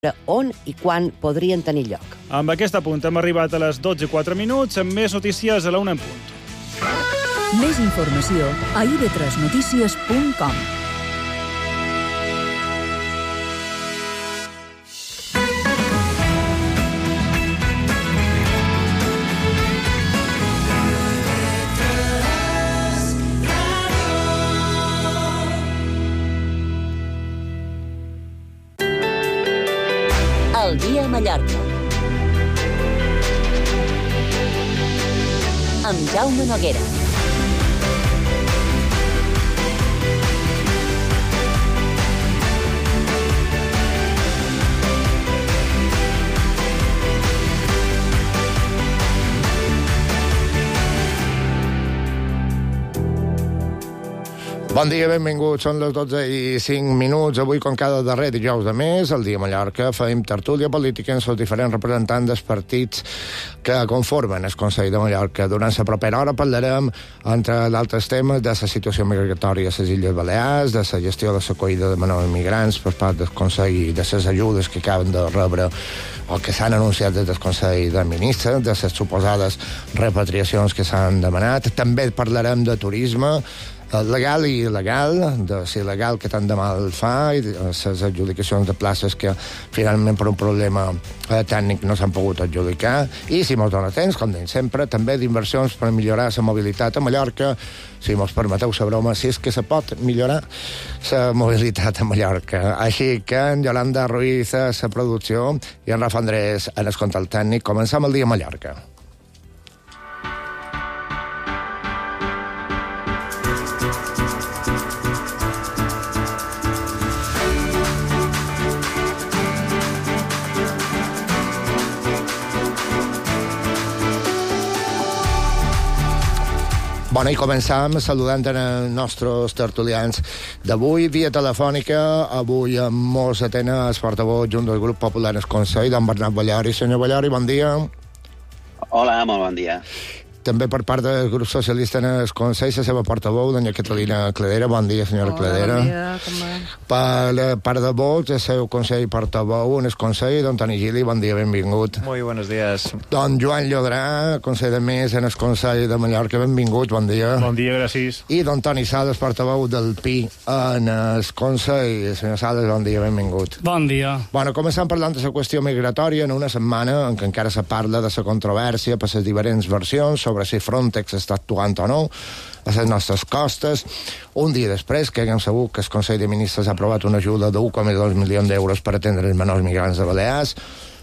on i quan podrien tenir lloc. Amb aquest apunt hem arribat a les 12:04, amb més notícies a la 1 en punt. Més informació a ib3notícies.com. El dia a Mallorca. Amb Jaume Noguera. Bon dia, benvinguts. Són les 12:05. Avui, com cada darrer dijous de mes, al dia a Mallorca, fem tertúlia política amb els diferents representants dels partits que conformen el Consell de Mallorca. Durant la propera hora parlarem, entre d'altres temes, de la situació migratòria a les Illes Balears, de la gestió de l'acollida de menors migrants per part del Consell i de les ajudes que acaben de rebre o que s'han anunciat des del Consell de Ministres, de les suposades repatriacions que s'han demanat. També parlarem de turisme, legal i il·legal, de si legal que tant de mal fa, i les adjudicacions de places que finalment per un problema tècnic no s'han pogut adjudicar, i si mos dona temps, com deim sempre, també d'inversions per millorar la mobilitat a Mallorca, si mos permeteu la broma, si és que se pot millorar la mobilitat a Mallorca. Així que en Yolanda Ruiz a la producció i en Rafa Andrés en el control tècnic. Començam el dia a Mallorca. Bueno, i començam saludant els nostres tertulians d'avui, via telefònica. Avui amb mos atén el portaveu junt del grup popular al Consell, don Bernat Ballori. Senyor Ballori, bon dia. Hola, molt bon dia. També per part del grup socialista en el Consell, la seva portaveu, doña Catalina Cledera. Bon dia, senyora Cledera. Bon dia, com va? Per part de Vox, el seu Consell portaveu en el Consell, don Toni Gili. Bon dia, benvingut. Muy buenos días. Don Joan Llodrà, Consell de Més en el Consell de Mallorca. Benvingut, bon dia. Bon dia, gràcies. I don Toni Sales, portaveu del PI en el Consell. Senyor Sales, bon dia, benvingut. Bon dia. Bueno, començant parlant de la qüestió migratòria en una setmana en què encara se parla de la controvèrsia per les diferents versions sobre si Frontex està actuant o no a les nostres costes. Un dia després que haguem sabut que el Consell de Ministres ha aprovat una ajuda de 1,2 milions d'euros per atendre els menors migrants de Balears,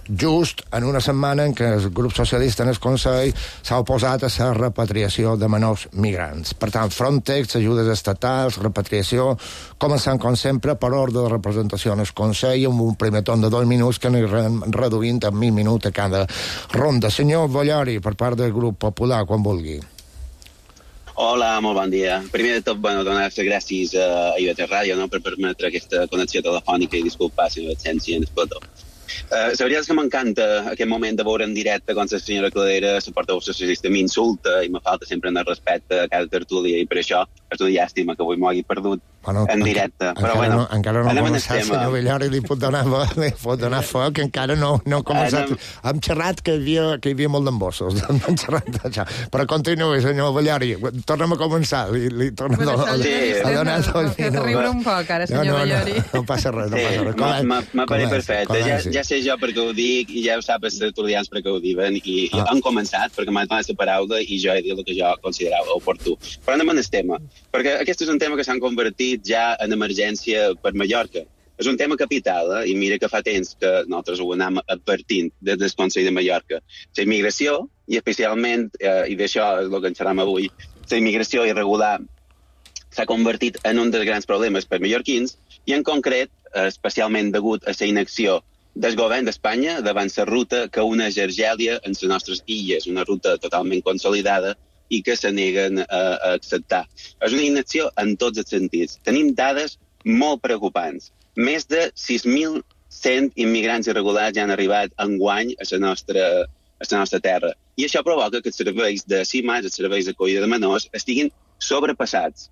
just en una setmana en què el grup socialista en el Consell s'ha oposat a la repatriació de menors migrants. Per tant, Frontex, ajudes estatals, repatriació, començant, com sempre, per ordre de representació en el Consell, amb un primer torn de 2 minuts que anirem reduint a 1 minut a cada ronda. Senyor Ballori, per part del grup popular, quan vulgui. Hola, molt bon dia. Primer de tot, donar les gràcies a IB3 Ràdio per permetre aquesta connexió telefònica i disculpar si no l'absència en el plató. La veritat és que m'encanta aquest moment de veure en directe com la senyora Cledera, la portaveu socialista, m'insulta i me falta sempre en el respecte a cada tertúlia, i per això és una llàstima que avui m'ho hagi perdut en directe. Però encara no ha començat, senyor Ballori, li pot donar foc, que encara no ha començat. Hem xerrat que hi havia molt d'embossos, però continuï, senyor Ballori, tornem a començar, li tornem a donar 2 minuts. Riure un poc ara, senyor Ballori. No passa res, no passa res. M'apareix perfecte, ja sé jo per què ho dic i ja ho sap els tertulians per què ho diuen, i han començat perquè m'han donat la paraula i jo he dit el que jo considerava oportú. Però anem en el tema, perquè aquest és un tema que s'han convertit ja en emergència per Mallorca. És un tema capital, i mira que fa temps que nosaltres ho anem advertint des del Consell de Mallorca. La immigració, i especialment, i d'això és el que en xerram avui, la immigració irregular s'ha convertit en un dels grans problemes per mallorquins, i en concret, especialment degut a la inacció del govern d'Espanya davant la ruta que uneix Argèlia en les nostres illes, una ruta totalment consolidada i que se neguen a acceptar. És una inacció en tots els sentits. Tenim dades molt preocupants. Més de 6.100 immigrants irregulars ja han arribat enguany a la nostra terra. I això provoca que els serveis de CIMAS, els serveis d'acollida de menors, estiguin sobrepassats.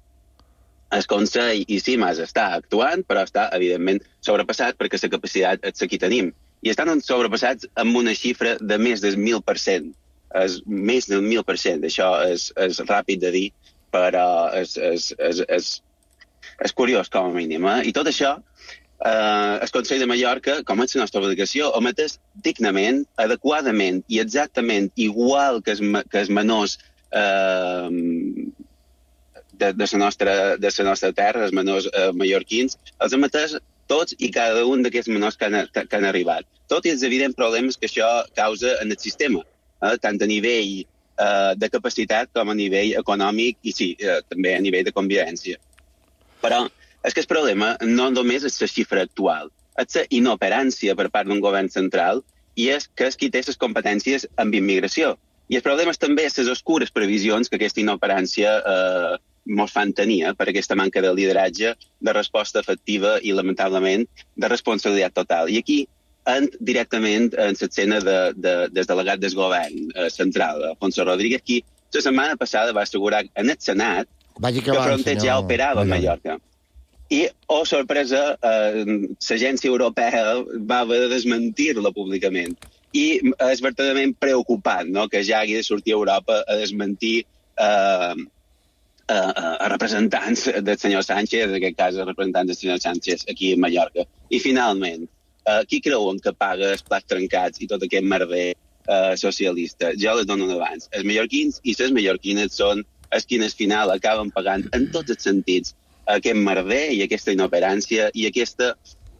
el Consell i CIMAS està actuant, però està, evidentment, sobrepassat perquè la capacitat és la que tenim. I estan sobrepassats amb una xifra de més del 1.000%. És més del 1.000%. Això és ràpid de dir, però és curiós, com a mínim. I tot això, el Consell de Mallorca, com és la nostra obligació, ho metes dignament, adequadament i exactament igual que els menors de la nostra terra, els menors mallorquins, els hem atès tots i cada un d'aquests menors que han arribat. Tot i els evidents problemes que això causa en el sistema, tant a nivell de capacitat com a nivell econòmic i sí, també a nivell de convivència. Però és que el problema no només és la xifra actual, és la inoperància per part d'un govern central i és que és qui té les competències amb immigració. I el problema és també les oscures previsions que aquesta inoperància ens fan tenir per aquesta manca de lideratge, de resposta efectiva i, lamentablement, de responsabilitat total. I aquí directament en l'escena del delegat del govern central, Alfonso Rodríguez, qui la setmana passada va assegurar en el Senat que Frontex ja operava a Mallorca. I, oh sorpresa, l'agència europea va haver de desmentir-la públicament. I és verdaderament preocupant, no?, que ja hagi de sortir a Europa a desmentir a representants del senyor Sánchez, en aquest cas a representants del senyor Sánchez aquí a Mallorca. I finalment, qui creuen que paga els plats trencats i tot aquest merder socialista? Jo les dono abans. Els mallorquins i les mallorquines són els qui al final acaben pagant en tots els sentits aquest merder i aquesta inoperància i aquesta,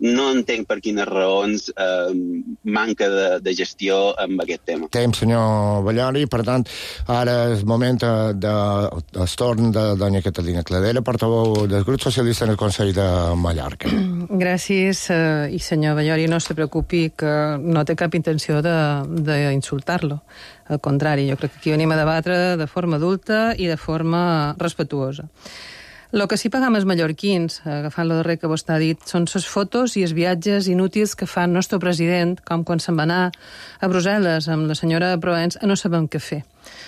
no entenc per quines raons, manca de gestió amb aquest tema. Temps, senyor Ballori. Per tant, ara és moment del torn de doña Catalina Cladera, portaveu del grup socialista en el Consell de Mallorca. Gràcies, i senyor Ballori, no se preocupi, que no té cap intenció d'insultar-lo. Al contrari, jo crec que aquí venim a debatre de forma adulta i de forma respetuosa. El que sí pagam els mallorquins, agafant lo darrer que vostè ha dit, són les fotos i els viatges inútils que fa el nostre president, com quan se'n va anar a Brussel·les amb la senyora Provenç a no sabem què fer.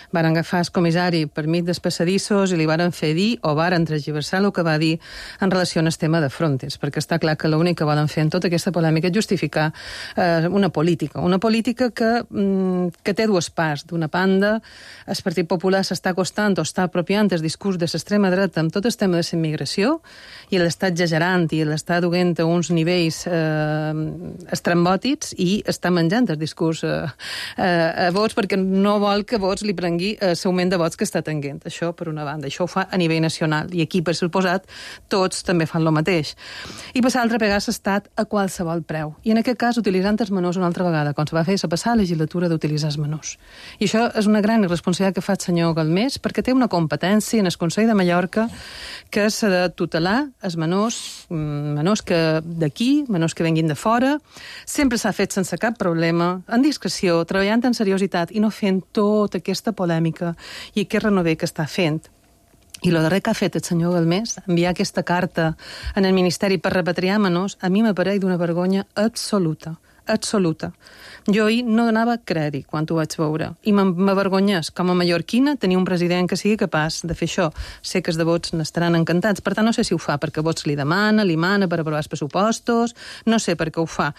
Varen agafar el comissari per mig dels passadissos i li varen fer dir, o varen transgiversar el que va dir en relació al tema de Frontex, perquè està clar que l'únic que volen fer en tota aquesta polèmica és justificar una política que té dues parts. D'una banda, el Partit Popular s'està acostant o està apropiant el discurs de l'extrema dreta amb tot el tema de la immigració i l'està exagerant i l'està duent a uns nivells estrambòtics i està menjant el discurs a vots perquè no vol que vots li prengui l'augment de vots que està tenint. Això, per una banda. Això ho fa a nivell nacional. I aquí, per suposat, tots també fan el mateix. I per l'altra, pegar l'estat a qualsevol preu. I en aquest cas, utilitzant els menors una altra vegada, com se va fer la passada legislatura d'utilitzar els menors. I això és una gran irresponsabilitat que fa el senyor Galmés, perquè té una competència en el Consell de Mallorca que és de tutelar els menors d'aquí, menors que venguin de fora. Sempre s'ha fet sense cap problema, en discreció, treballant en seriositat i no fent tota aquesta polèmica i aquest renover que està fent. I el darrer que ha fet el senyor Galmés, enviar aquesta carta en el Ministeri per repatriar menors, a mi m'apareix d'una vergonya absoluta. Jo ahir no donava crèdit quan ho vaig veure i m'avergonyés com a mallorquina tenir un president que sigui capaç de fer això. Sé que els de vots n'estaran encantats, per tant no sé si ho fa perquè vots li mana per aprovar els pressupostos, no sé per què ho fa,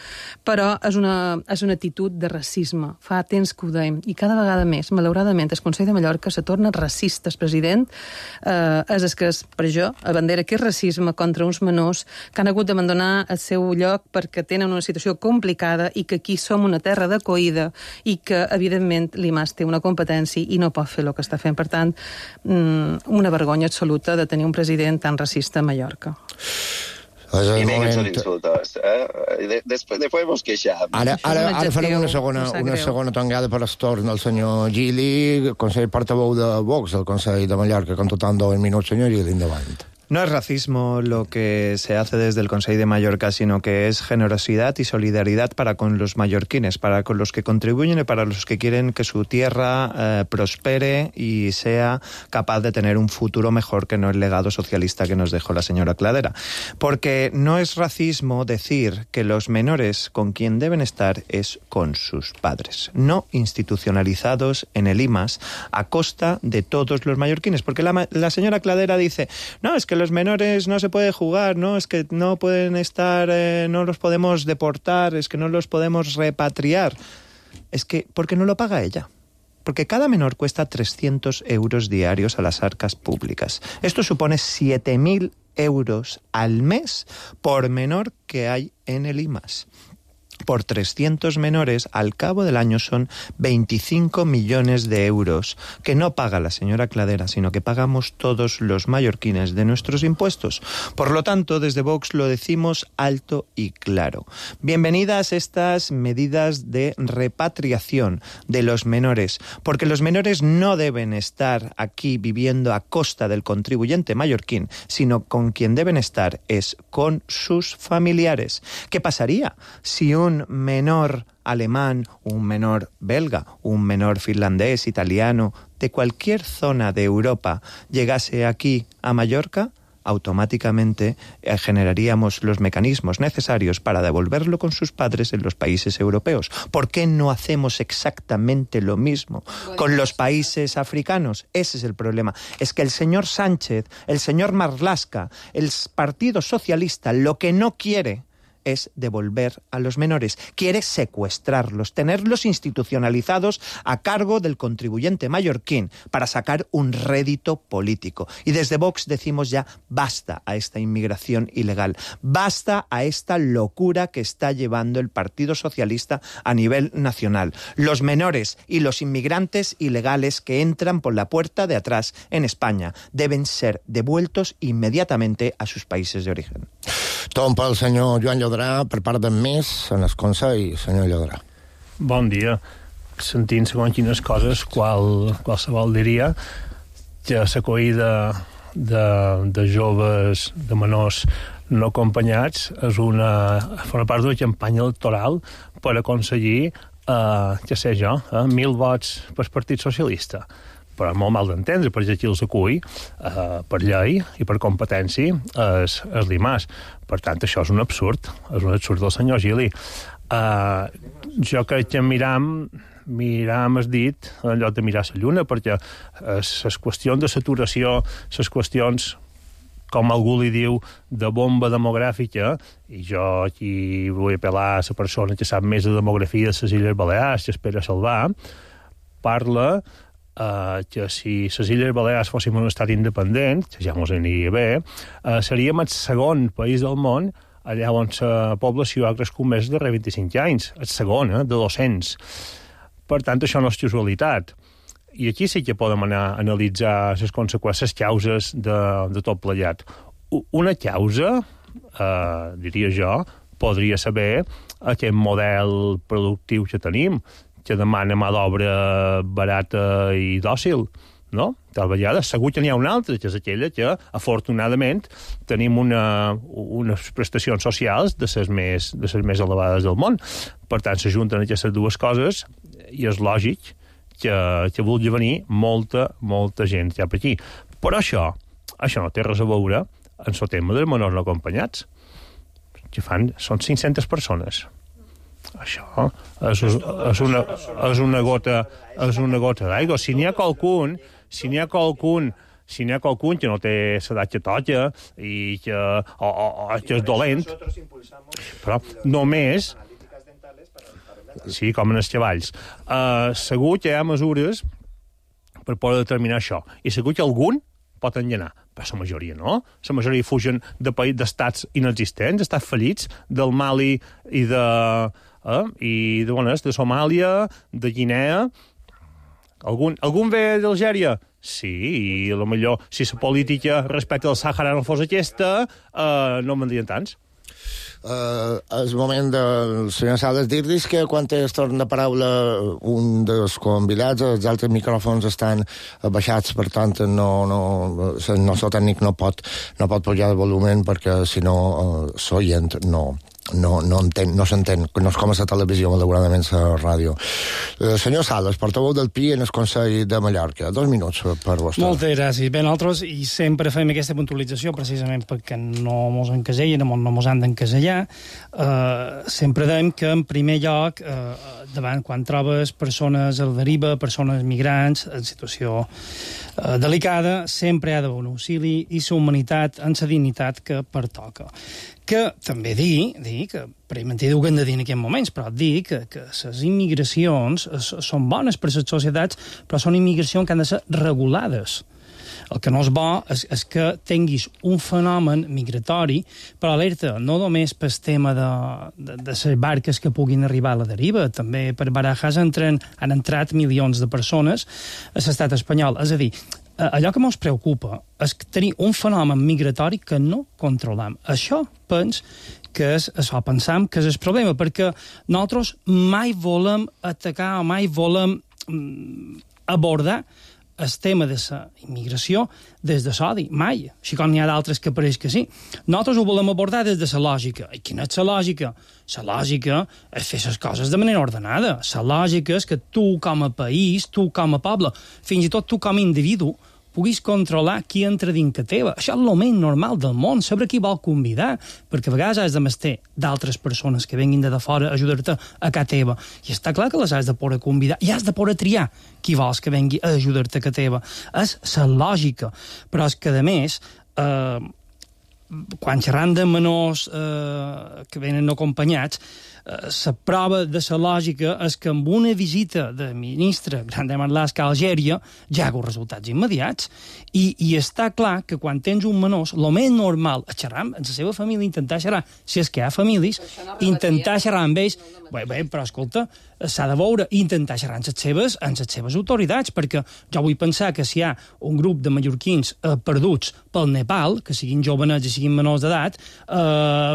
però és una actitud de racisme. Fa temps que ho deim i cada vegada més, malauradament, el Consell de Mallorca se torna racista. El president és que és, per jo, a bandera que és racisme contra uns menors que han hagut d'abandonar el seu lloc perquè tenen una situació complicada i que aquí som una terra d'acollida i que, evidentment, l'IMAS té una competència i no pot fer el que està fent. Per tant, una vergonya absoluta de tenir un president tan racista a Mallorca. I bé que són insultos. Després vos queixam. Ara farem una segona tongada per el torn del senyor Gili, consell portaveu de Vox, el Consell de Mallorca, contando 2 minuts, senyor Gili, endavant. No es racismo lo que se hace desde el Consell de Mallorca, sino que es generosidad y solidaridad para con los mallorquines, para con los que contribuyen y para los que quieren que su tierra prospere y sea capaz de tener un futuro mejor que no el legado socialista que nos dejó la señora Cladera. Porque no es racismo decir que los menores con quien deben estar es con sus padres, no institucionalizados en el IMAS a costa de todos los mallorquines. Porque la señora Cladera dice, no, es que los menores no se puede jugar, ¿no? Es que no pueden estar, no los podemos deportar, es que no los podemos repatriar. Es que, porque no lo paga ella. Porque cada menor cuesta 300 euros diarios a las arcas públicas. Esto supone 7.000 euros al mes por menor que hay en el IMAS. Por 300 menores, al cabo del año son 25 millones de euros, que no paga la señora Cladera, sino que pagamos todos los mallorquines de nuestros impuestos. Por lo tanto, desde Vox lo decimos alto y claro. Bienvenidas estas medidas de repatriación de los menores, porque los menores no deben estar aquí viviendo a costa del contribuyente mallorquín, sino con quien deben estar es con sus familiares. ¿Qué pasaría si un menor alemán, un menor belga, un menor finlandés, italiano, de cualquier zona de Europa llegase aquí a Mallorca? Automáticamente generaríamos los mecanismos necesarios para devolverlo con sus padres en los países europeos. ¿Por qué no hacemos exactamente lo mismo con los países africanos? Ese es el problema. Es que el señor Sánchez, el señor Marlaska, el Partido Socialista, lo que no quiere es devolver a los menores. Quiere secuestrarlos, tenerlos institucionalizados a cargo del contribuyente mallorquín para sacar un rédito político. Y desde Vox decimos ya basta a esta inmigración ilegal, basta a esta locura que está llevando el Partido Socialista a nivel nacional. Los menores y los inmigrantes ilegales que entran por la puerta de atrás en España deben ser devueltos inmediatamente a sus países de origen. Tom pel senyor Joan Llodrà, per part d'en Més, en el Consell, senyor Llodrà. Bon dia. Sentint segons quines coses, qualsevol diria que l'acollida de joves, de menors no acompanyats, forma part d'una campanya electoral per aconseguir, què sé jo, 1.000 vots pel Partit Socialista. Però molt mal d'entendre, perquè aquí els acull per llei i per competència és l'IMAS. Per tant, això és un absurd del senyor Gili. Jo crec que miram el dit en lloc de mirar la lluna, perquè les qüestions de saturació, les qüestions, com algú li diu, de bomba demogràfica, i jo aquí vull apel·lar a la persona que sap més de demografia de les Illes Balears, que espera salvar, parla que si les Illes Balears fóssim un estat independent, que ja ens aniria bé, seríem el segon país del món allà on la població ha crescut més de 25 anys. El segon, de 200. Per tant, això no és casualitat. I aquí sí que podem anar a analitzar les conseqüències, les causes de tot plegat. Una causa, diria jo, podria saber aquest model productiu que tenim, que demana mà d'obra barata i dòcil, no? Tal vegada, segur que n'hi ha una altra, que és aquella que, afortunadament, tenim unes prestacions socials de les més elevades del món. Per tant, s'ajunten aquestes dues coses i és lògic que vulgui venir molta gent cap aquí. Però això no té res a veure amb el tema dels menors no acompanyats, que són 500 persones. Això és una gota d'aigua. Si n'hi ha qualcun que no té l'edat que toca i que és dolent, però només, sí, com en els cavalls, segur que hi ha mesures per poder determinar això, i segur que algun pot enllanar, però la majoria no. La majoria fugen d'estats inexistents, estats fallits, del Mali i de Somàlia, de Guinea. Algun ve d'Algèria? Sí, i potser si la política respecte al Sàhara no fos aquesta, no en vendrien tants. És moment del senyor Sales dir-los que quan es torna de paraula un dels convidats, els altres micròfons estan baixats, per tant el nostre tècnic no pot pujar el volum perquè si no l'oient no no s'entén, no és com a la televisió, malauradament la ràdio. Senyor Sales, portaveu del PI en el Consell de Mallorca. 2 minuts per vostè. Moltes gràcies. Bé, nosaltres i sempre fem aquesta puntualització precisament perquè no mos encasellen, no mos han d'encasellar. Sempre dèiem que en primer lloc, davant quan trobes persones a la deriva, persones migrants en situació delicada, sempre hi ha d'haver un auxili i la humanitat en la dignitat que pertoca. Que també dir que, per mentir ho que hem de dir en aquests moments, però dir que les immigracions són bones per a les societats, però són immigracions que han de ser regulades. El que no és bo és que tinguis un fenomen migratori, però alerta, no només pel tema de les barques que puguin arribar a la deriva, també per Barajas han entrat milions de persones a l'estat espanyol. És a dir, allò que ens preocupa és tenir un fenomen migratori que no controlem. Això pensem que és el problema, perquè nosaltres mai volem atacar o mai volem abordar el tema de la immigració des de l'odi, mai. Així com n'hi ha d'altres que pareix que sí. Nosaltres ho volem abordar des de la lògica. I quina és la lògica? La lògica és fer les coses de manera ordenada. La lògica és que tu com a país, tu com a poble, fins i tot tu com a individu, puguis controlar qui entra dins que teva. Això és el més normal del món, saber qui vol convidar, perquè a vegades has de mestir d'altres persones que venguin de fora a ajudar-te a casa teva. I està clar que les has de poder convidar i has de poder triar qui vols que vengui a ajudar-te a casa teva. És la lògica. Però és que, a més, quan xerram de menors que venen no acompanyats, la prova de la lògica és que amb una visita de ministre Grande Marlaska a Algèria ja hi ha resultats immediats i està clar que quan tens un menor, el més normal és xerrar amb la seva família, intentar xerrar, si és que hi ha famílies, intentar xerrar amb ells, bé, però escolta, s'ha de veure, intentar xerrar amb les seves autoritats, perquè jo vull pensar que si hi ha un grup de mallorquins perduts pel Nepal, que siguin jovenets i siguin menors d'edat,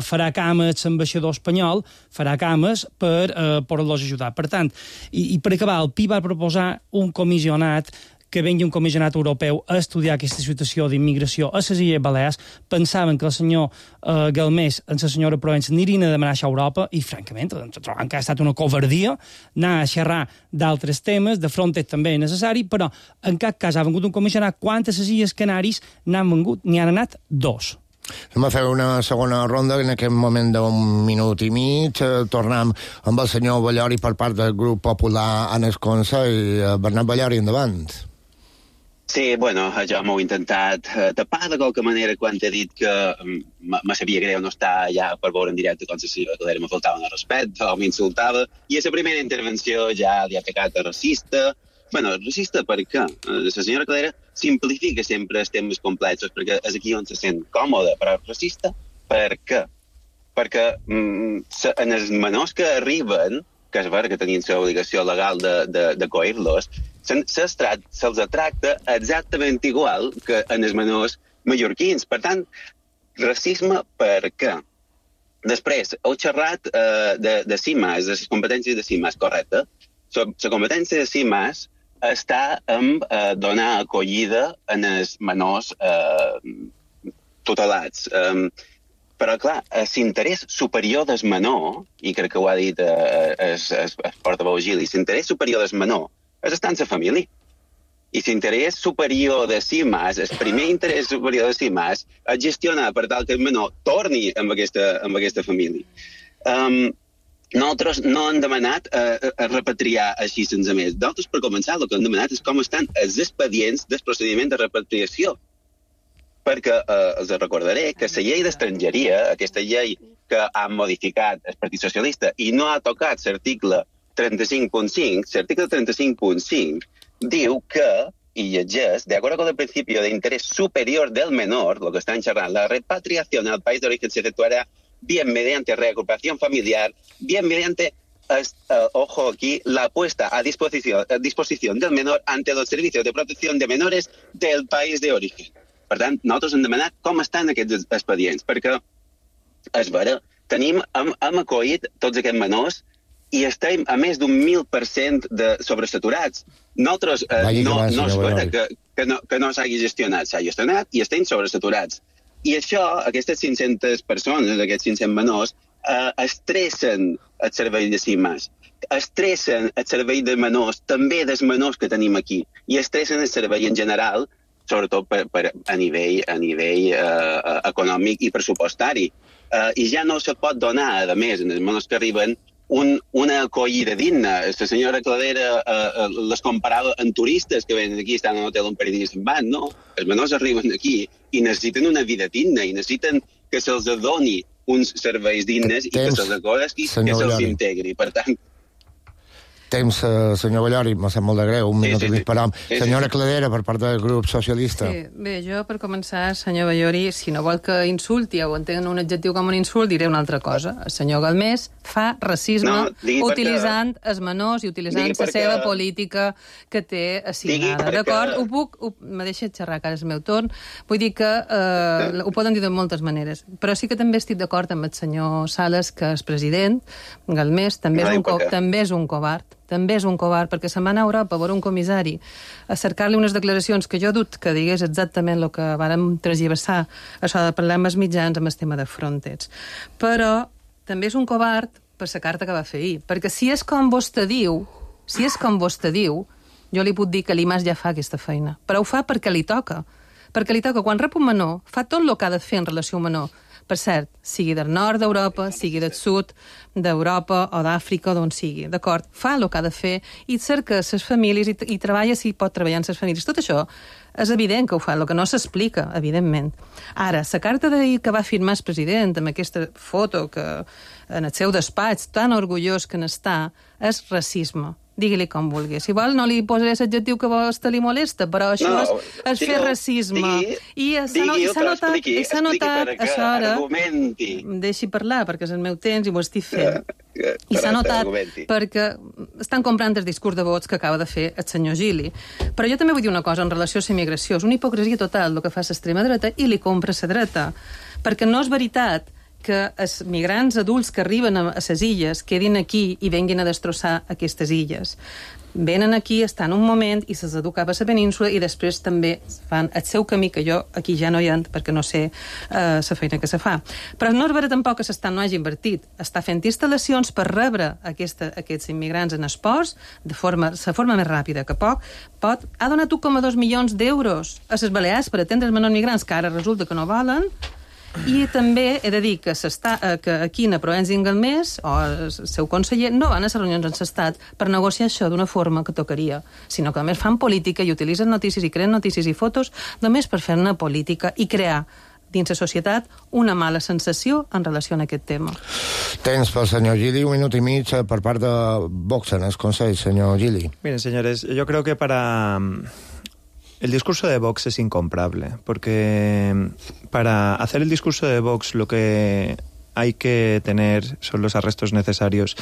farà cames l'ambaixador espanyol, farà cames per poder-los ajudar. Per tant, i per acabar, el PI va proposar un comissionat, que vengui un comissionat europeu a estudiar aquesta situació d'immigració a les Illes Balears. Pensaven que el senyor Galmés i la senyora Provença anirien a demanar això a Europa i, francament, trobem que ha estat una covardia anar a xerrar d'altres temes, de Frontex també és necessari, però en cap cas ha vengut un comissionat. Quantes a les Illes Canàries n'han vengut? N'hi han anat 2. Anem a fer una segona ronda, en aquest moment d'un minut i mig. Tornem amb el senyor Ballori per part del grup popular en el Consell. Bernat Ballori, endavant. Sí, bueno, jo m'ho he intentat tapar de qualque manera quan he dit que me sabia greu no estar allà per veure en directe com si me faltava un respecte o m'insultava, i a la primera intervenció ja li ha atacat de racista. Bueno, racista per què? La senyora Calera simplifica sempre els temes complexos perquè és aquí on se sent còmode, però racista per què? Perquè en els menors que arriben, que és vera que tenien l'obligació legal d'acollir-los, se'ls tracta exactament igual que en els menors mallorquins. Per tant, racisme per què? Després, heu xerrat de CIMAS, de les competències de CIMAS, correcte? La competència de CIMAS està en donar acollida en els menors tutelats. Però, clar, l'interès superior del menor, i crec que ho ha dit el portaveu Gili, l'interès superior del menor és estar en la família. I l'interès superior de CIMAS, el primer interès superior de CIMAS, és gestionar per tal que el menor torni amb aquesta família. Nosaltres no hem demanat a repatriar així sense més. Nosaltres, per començar, el que hem demanat és com estan els expedients del procediment de repatriació. Perquè els recordaré que la llei d'estrangeria, aquesta llei que han modificat el Partit Socialista i no ha tocat l'article 35.5, l'article 35.5 diu que, y llegeix, de acuerdo con el principio de interés superior del menor, lo que están charlando, la repatriación al país de origen se efectuará bien mediante reagrupación familiar, bien mediante, ojo aquí, la puesta a disposición del menor ante los servicios de protección de menores del país de origen. Per tant, nosaltres hem demanat com estan aquests expedients, perquè, és vera, hem acollit tots aquests menors i estem a més d'un 1.000% de sobresaturats. Nosaltres no és vera que no s'hagi gestionat, s'ha gestionat i estem sobresaturats. I això, aquestes 500 persones, aquests 500 menors, estressen el servei de CIMAS, estressen el servei de menors, també dels menors que tenim aquí, i estressen el servei en general, sobretot a nivell econòmic i pressupostari. I ja no se pot donar, a més, en els menors que arriben, una acollida digna. La senyora Cladera les comparava amb turistes que venen aquí, estan en l'hotel un parell de dies se'n van, no? Els menors arriben aquí i necessiten una vida digna, i necessiten que se'ls doni uns serveis dignes i que se'ls acolli, que se'ls integri. Per tant... Temps, senyor Ballori, m'ha sap molt de greu, un minut i mig per hom. Senyora Cladera, per part del grup socialista. Sí, bé, jo per començar, senyor Ballori, si no vol que insulti o entengui un adjectiu com un insult, diré una altra cosa. El senyor Galmés fa racisme utilitzant els menors i utilitzant la seva política que té assignada. D'acord? Me deixa xerrar, que ara és el meu torn. Vull dir que ho poden dir de moltes maneres. Però sí que també estic d'acord amb el senyor Sales, que és president, Galmés, també és un covard. També és un covard, perquè se'n va anar a Europa a veure un comissari a cercar-li unes declaracions que jo dut que digués exactament el que vàrem transversar, això de parlar amb els mitjans amb el tema de Frontex. Però també és un covard per la carta que va fer ahir, perquè si és com vostè diu, jo li puc dir que l'IMAS ja fa aquesta feina, però ho fa perquè li toca. Perquè li toca, quan rep un menor, fa tot el que ha de fer en relació a un menor. Per cert, sigui del nord d'Europa, sigui del sud d'Europa o d'Àfrica, d'on sigui, d'acord? Fa el que ha de fer i cerca les famílies i treballa si pot treballar en les famílies. Tot això és evident que ho fa, el que no s'explica, evidentment. Ara, la carta d'ahir que va firmar el president amb aquesta foto que en el seu despatx, tan orgullós que n'està, és racisme. Digui-li com vulgui. Si vol, no li posaré l'adjectiu que a vostè li molesta, però això és fer racisme. I s'ha notat això ara... Deixi parlar, perquè és el meu temps i ho estic fent. I s'ha notat perquè estan comprant el discurs de vots que acaba de fer el senyor Gili. Però jo també vull dir una cosa en relació a la immigració. És una hipocresia total el que fa l'extrema dreta i li compra la dreta. Perquè no és veritat que els migrants adults que arriben a les illes quedin aquí i venguin a destrossar aquestes illes. Venen aquí, estan un moment i se'ls educa a la península i després també fan el seu camí, que jo aquí ja no hi entro perquè no sé la feina que se fa. Però no és vera tampoc que s'estat no hagi invertit. Està fent instal·lacions per rebre aquests immigrants en esports de la forma més ràpida que pot. Ha donat 1,2 milions d'euros a les Balears per atendre els menors migrants que ara resulta que no volen. I també he de dir que aquí a Provença i Galmés, o el seu conseller, no van a les reunions en l'Estat per negociar això d'una forma que tocaria, sinó que a més fan política i utilitzen notícies i creen notícies i fotos només per fer una política i crear dins la societat una mala sensació en relació a aquest tema. Temps pel senyor Gili, un minut i mig per part de Vox en el Consell, senyor Gili. Miren, señores, yo creo que el discurso de Vox es incomparable, porque para hacer el discurso de Vox lo que hay que tener son los arrestos necesarios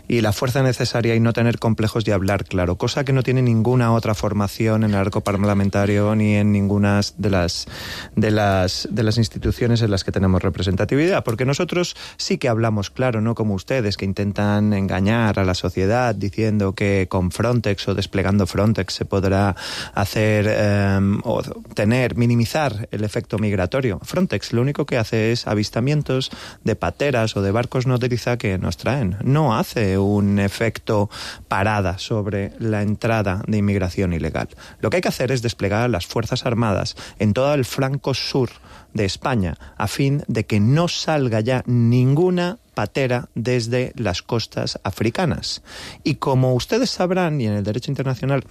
y la fuerza necesaria y no tener complejos de hablar claro, cosa que no tiene ninguna otra formación en el arco parlamentario ni en ninguna de las instituciones en las que tenemos representatividad, porque nosotros sí que hablamos claro, no como ustedes que intentan engañar a la sociedad diciendo que con Frontex o desplegando Frontex se podrá hacer o minimizar el efecto migratorio. Frontex lo único que hace es avistamientos de pateras o de barcos nodriza que nos traen. No hace un efecto parada sobre la entrada de inmigración ilegal. Lo que hay que hacer es desplegar a las Fuerzas Armadas en todo el flanco sur de España a fin de que no salga ya ninguna patera desde las costas africanas. Y como ustedes sabrán, y en el derecho internacional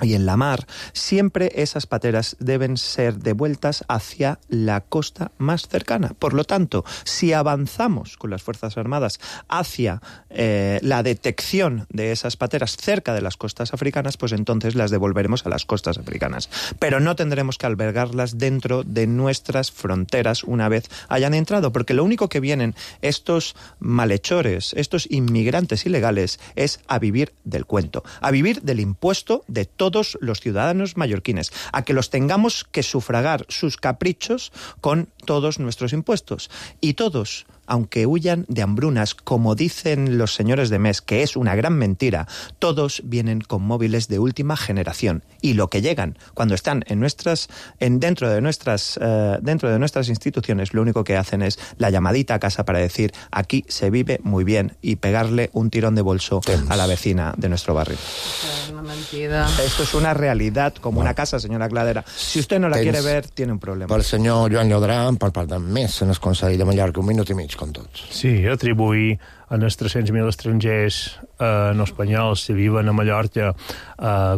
y en la mar, siempre esas pateras deben ser devueltas hacia la costa más cercana. Por lo tanto, si avanzamos con las Fuerzas Armadas hacia la detección de esas pateras cerca de las costas africanas, pues entonces las devolveremos a las costas africanas. Pero no tendremos que albergarlas dentro de nuestras fronteras una vez hayan entrado, porque lo único que vienen estos malhechores, estos inmigrantes ilegales, es a vivir del cuento, a vivir del impuesto de todo todos los ciudadanos mallorquines, a que los tengamos que sufragar sus caprichos con todos nuestros impuestos. Y todos, aunque huyan de hambrunas, como dicen los señores de MES, que es una gran mentira, todos vienen con móviles de última generación. Y lo que llegan cuando están dentro de nuestras instituciones, lo único que hacen es la llamadita a casa para decir: aquí se vive muy bien, y pegarle un tirón de bolso a la vecina de nuestro barrio. Es una mentida. Esto es una realidad como una casa, señora Cladera. Si usted no la quiere ver, tiene un problema. Per senyor Joan Llodrà, per part de MES en el Consell de Mallorca, 1 minut i mig, com tots. Sí, atribuir en els 300.000 estrangers no espanyols que viven a Mallorca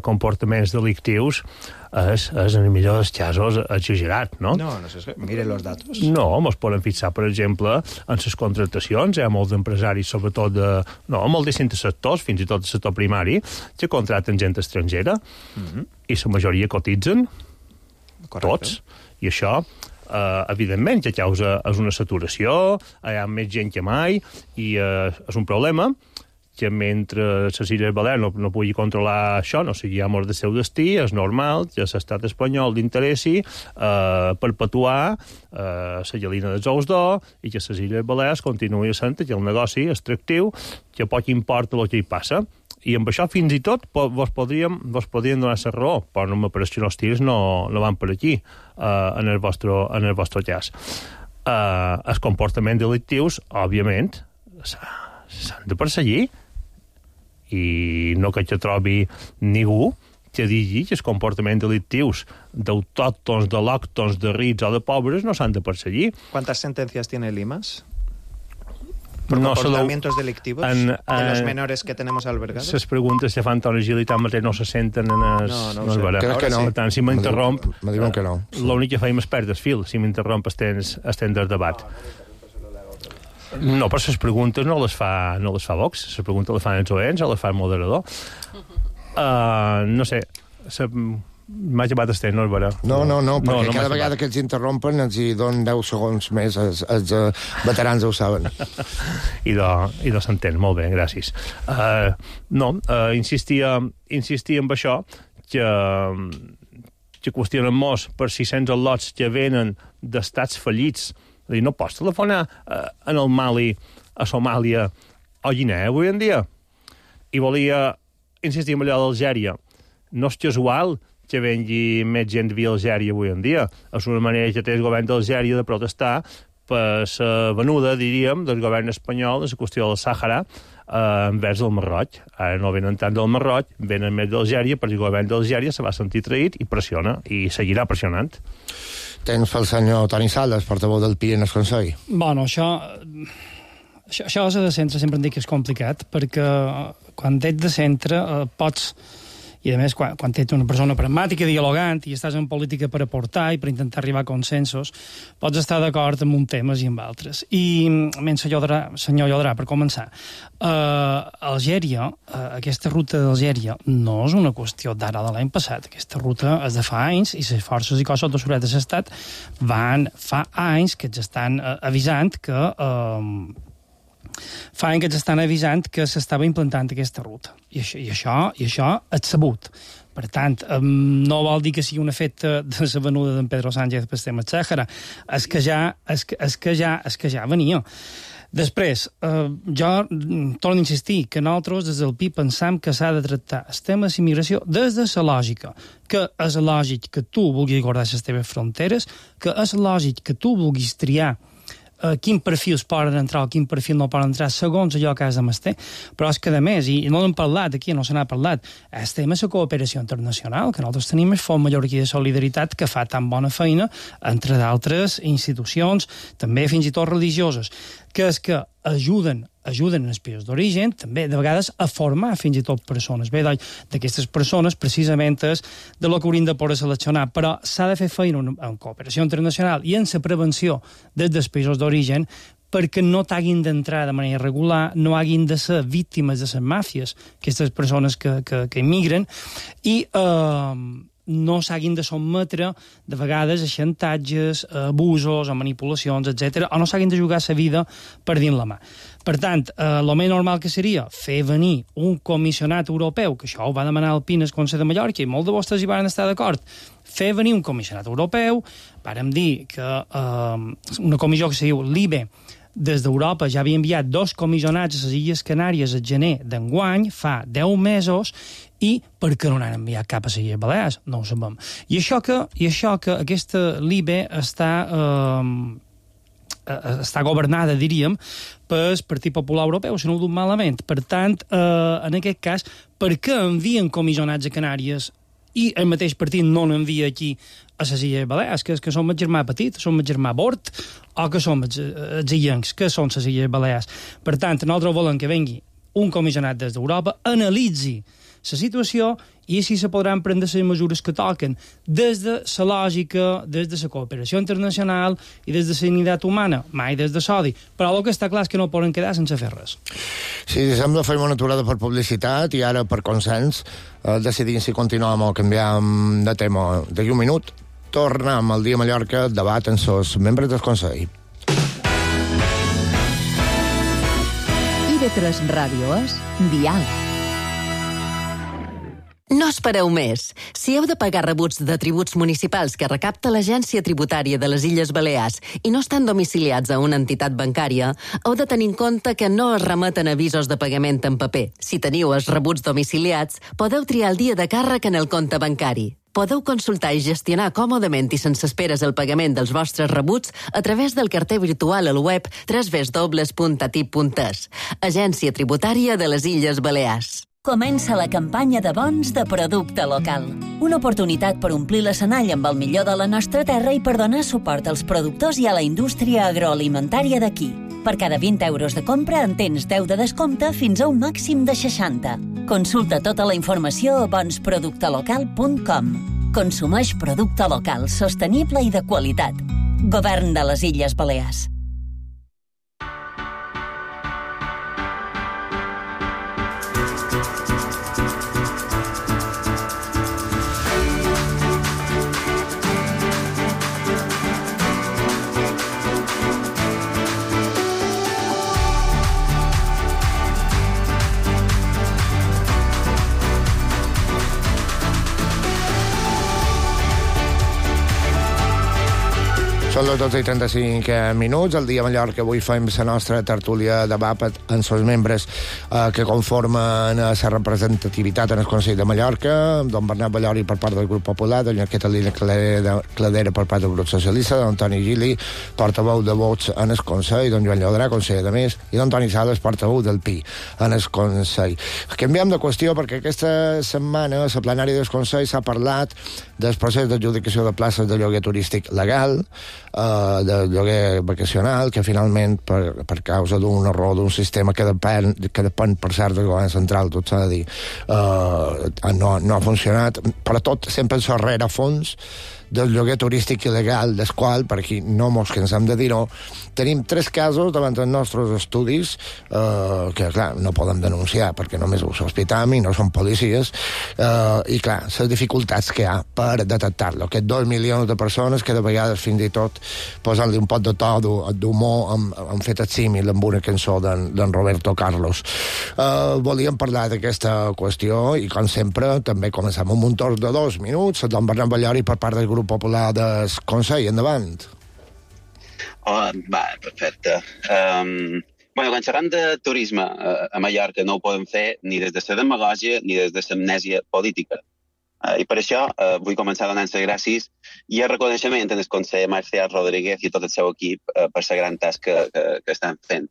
comportaments delictius és en el millor dels casos exagerat, no? No sé, mire los datos. No, ens podem fixar, per exemple, en les contractacions. Hi ha molts empresaris, sobretot molt distints sectors, fins i tot el sector primari, que contracten gent estrangera, i la majoria cotitzen, tots, i això evidentment que causa és una saturació, hi ha més gent que mai, i és un problema que mentre les Illes Balears no pugui controlar això, no sigui amor del seu destí, és normal que l'estat espanyol l'interessi perpetuar la gallina dels ous d'or i que les Illes Balears continuï sent que el negoci extractiu, que poc importa el que hi passa. I amb això fins i tot vos podríem donar la raó, però no m'apareix que els tirs no van per aquí en el vostre cas. Els comportaments delictius, òbviament, s'han de perseguir, i no que trobi ningú que digui que els comportaments delictius d'autòctons, de lòctons, de rics o de pobres no s'han de perseguir. ¿Cuántas sentencias tiene Limas? Por comportamientos delictivos de los menores que tenemos albergados? Les preguntes que fan Toni Gil i tant mateix no se senten en no sé. Crec que no. Per tant, si m'interromp, me diuen que no. l'únic que feim és perdre el fil. Si m'interromp estem del debat. No, però les preguntes no les fa Vox. Les preguntes les fan els oents o les fa el moderador. No sé, m'ha llevat estem, no és vera. No, perquè cada vegada que els interrompen els hi donen 10 segons més, els veterans ho saben. I s'entén, molt bé, gràcies. Insistia en això, que qüestionen molt per 600 al·lots que venen d'estats fallits. És a dir, no pots telefonar en el Mali, a Somàlia o Guinea avui en dia. I volia insistir en allò d'Algèria. No és casual que vengui més gent via Algèria avui en dia. És una manera que té el govern d'Algèria de protestar per la venuda, diríem, del govern espanyol en la qüestió del Sàhara envers el Marroc. Ara no venen tant del Marroc, venen més d'Algèria, perquè el govern d'Algèria se va sentir traït i pressiona, i seguirà pressionant. Tens pel senyor Toni Sales, portaveu del PI en el Consell. Bueno, això de centre sempre em dic que és complicat, perquè quan ets de centre pots... I, a més, quan ets una persona pragmàtica, dialogant, i estàs en política per aportar i per intentar arribar a consensos, pots estar d'acord amb un temes i amb altres. I, senyor Llodrà, per començar, Algèria, aquesta ruta d'Algèria no és una qüestió d'ara de l'any passat. Aquesta ruta és de fa anys i les forces i cossos de seguretat de l'Estat fa anys que ens estan avisant que s'estava implantant aquesta ruta. I això és sabut. Per tant, no vol dir que sigui un efecte de la venuda d'en Pedro Sánchez per tema Sàhara. És que ja venia. Després, jo torno a insistir que nosaltres des del PI pensam que s'ha de tractar el tema de immigració des de la lògica, que és lògic que tu vulguis guardar les teves fronteres, que és lògic que tu vulguis triar quin perfils poden entrar o quin perfil no poden entrar segons allò que has de menester, però és que a més, i no n'hem parlat aquí, no se n'ha parlat, el tema de la cooperació internacional, que nosaltres tenim el Fons Mallorquí de Solidaritat, que fa tan bona feina, entre d'altres institucions, també fins i tot religioses, que és que ajuden en els països d'origen, també de vegades a formar fins i tot persones. Bé, d'aquestes persones precisament és de lo que hauríem de poder seleccionar, però s'ha de fer feina en cooperació internacional i en la prevenció des dels països d'origen perquè no t'hagin d'entrar de manera irregular, no hagin de ser víctimes de les màfies, aquestes persones que immigren, i no s'hagin de sotmetre de vegades a xantatges, a abusos, a manipulacions, etc, o no s'hagin de jugar la vida per dins la mà. Per tant, el més normal que seria fer venir un comissionat europeu, que això ho va demanar el PIN al Consell de Mallorca, i molts de vostès hi van estar d'acord, fer venir un comissionat europeu, vàrem dir que una comissió que se diu l'IBE, des d'Europa ja havia enviat 2 comissionats a les Illes Canàries al gener d'enguany, fa 10 mesos, i per què no n'han enviat cap a les Illes Balears? No ho sabem. I això que aquesta l'IBE està governada, diríem, pel Partit Popular Europeu, si no ho dic malament. Per tant, en aquest cas, per què envien comissionats a Canàries i el mateix partit no n'envia aquí a les Illes Balears, que som el germà petit, som el germà Bort, o que som els illencs, que són les Illes Balears. Per tant, nosaltres volem que vengui un comissionat des d'Europa, analitzi la situació i així se podran prendre les mesures que toquen des de la lògica, des de la cooperació internacional i des de la dignitat humana, mai des de l'odi. Però el que està clar és que no poden quedar sense fer res. Sí, sembla fer una aturada per publicitat i ara per consens decidim si continuem o canviem de tema. D'aquí un minut tornem al Dia Mallorca, debat amb els membres del Consell. IB3 Ràdio és Dial. No espereu més. Si heu de pagar rebuts de tributs municipals que recapta l'Agència Tributària de les Illes Balears i no estan domiciliats a una entitat bancària, heu de tenir en compte que no es remeten avisos de pagament en paper. Si teniu els rebuts domiciliats, podeu triar el dia de càrrec en el compte bancari. Podeu consultar i gestionar còmodament i sense esperes el pagament dels vostres rebuts a través del carter virtual al web www.atip.es. Agència Tributària de les Illes Balears. Comença la campanya de bons de producte local. Una oportunitat per omplir l'escenall amb el millor de la nostra terra i per donar suport als productors i a la indústria agroalimentària d'aquí. Per cada 20 euros de compra en tens 10 de descompte fins a un màxim de 60. Consulta tota la informació a bonsproductelocal.com. Consumeix producte local, sostenible i de qualitat. Govern de les Illes Balears. Són les 12:35 minuts. El Dia Mallorca avui fem la nostra tertúlia de debat amb els membres que conformen la representativitat en el Consell de Mallorca, don Bernat Ballori per part del grup popular, doña Catalina Cladera per part del grup socialista, don Toni Gili, portaveu de vots en el Consell, don Joan Llodrà, conseller de més, i don Toni Sales, portaveu del PI en el Consell. Canviem de qüestió perquè aquesta setmana a la plenària del Consell s'ha parlat del procés d'adjudicació de places de lloguer turístic legal, de lloguer vacacional, que finalment, per causa d'un error d'un sistema que depèn per cert del govern central, tot s'ha de dir, no ha funcionat, però tot sempre en el rerefons del lloguer turístic il·legal, del qual, per aquí no mos cansem de dir-ho, tenim 3 casos davant dels nostres estudis que, clar, no podem denunciar perquè només ho sospitam i no són policies, i, clar, les dificultats que hi ha per detectar-lo. Aquests 2 milions de persones que de vegades fins i tot posant-li un pot de to d'humor han fet el símil amb una cançó d'en Roberto Carlos. Volíem parlar d'aquesta qüestió i, com sempre, també comencem amb un torn de 2 minuts. Don Bernat Ballori per part del grup popular del Consell. Endavant. Va, perfecte. Quan xerram de turisme a Mallorca no ho podem fer ni des de la demagògia ni des de l'amnèsia política. I per això vull començar donant les gràcies i el reconeixement en el conseller Marcial Rodríguez i tot el seu equip per la gran tasca que estan fent.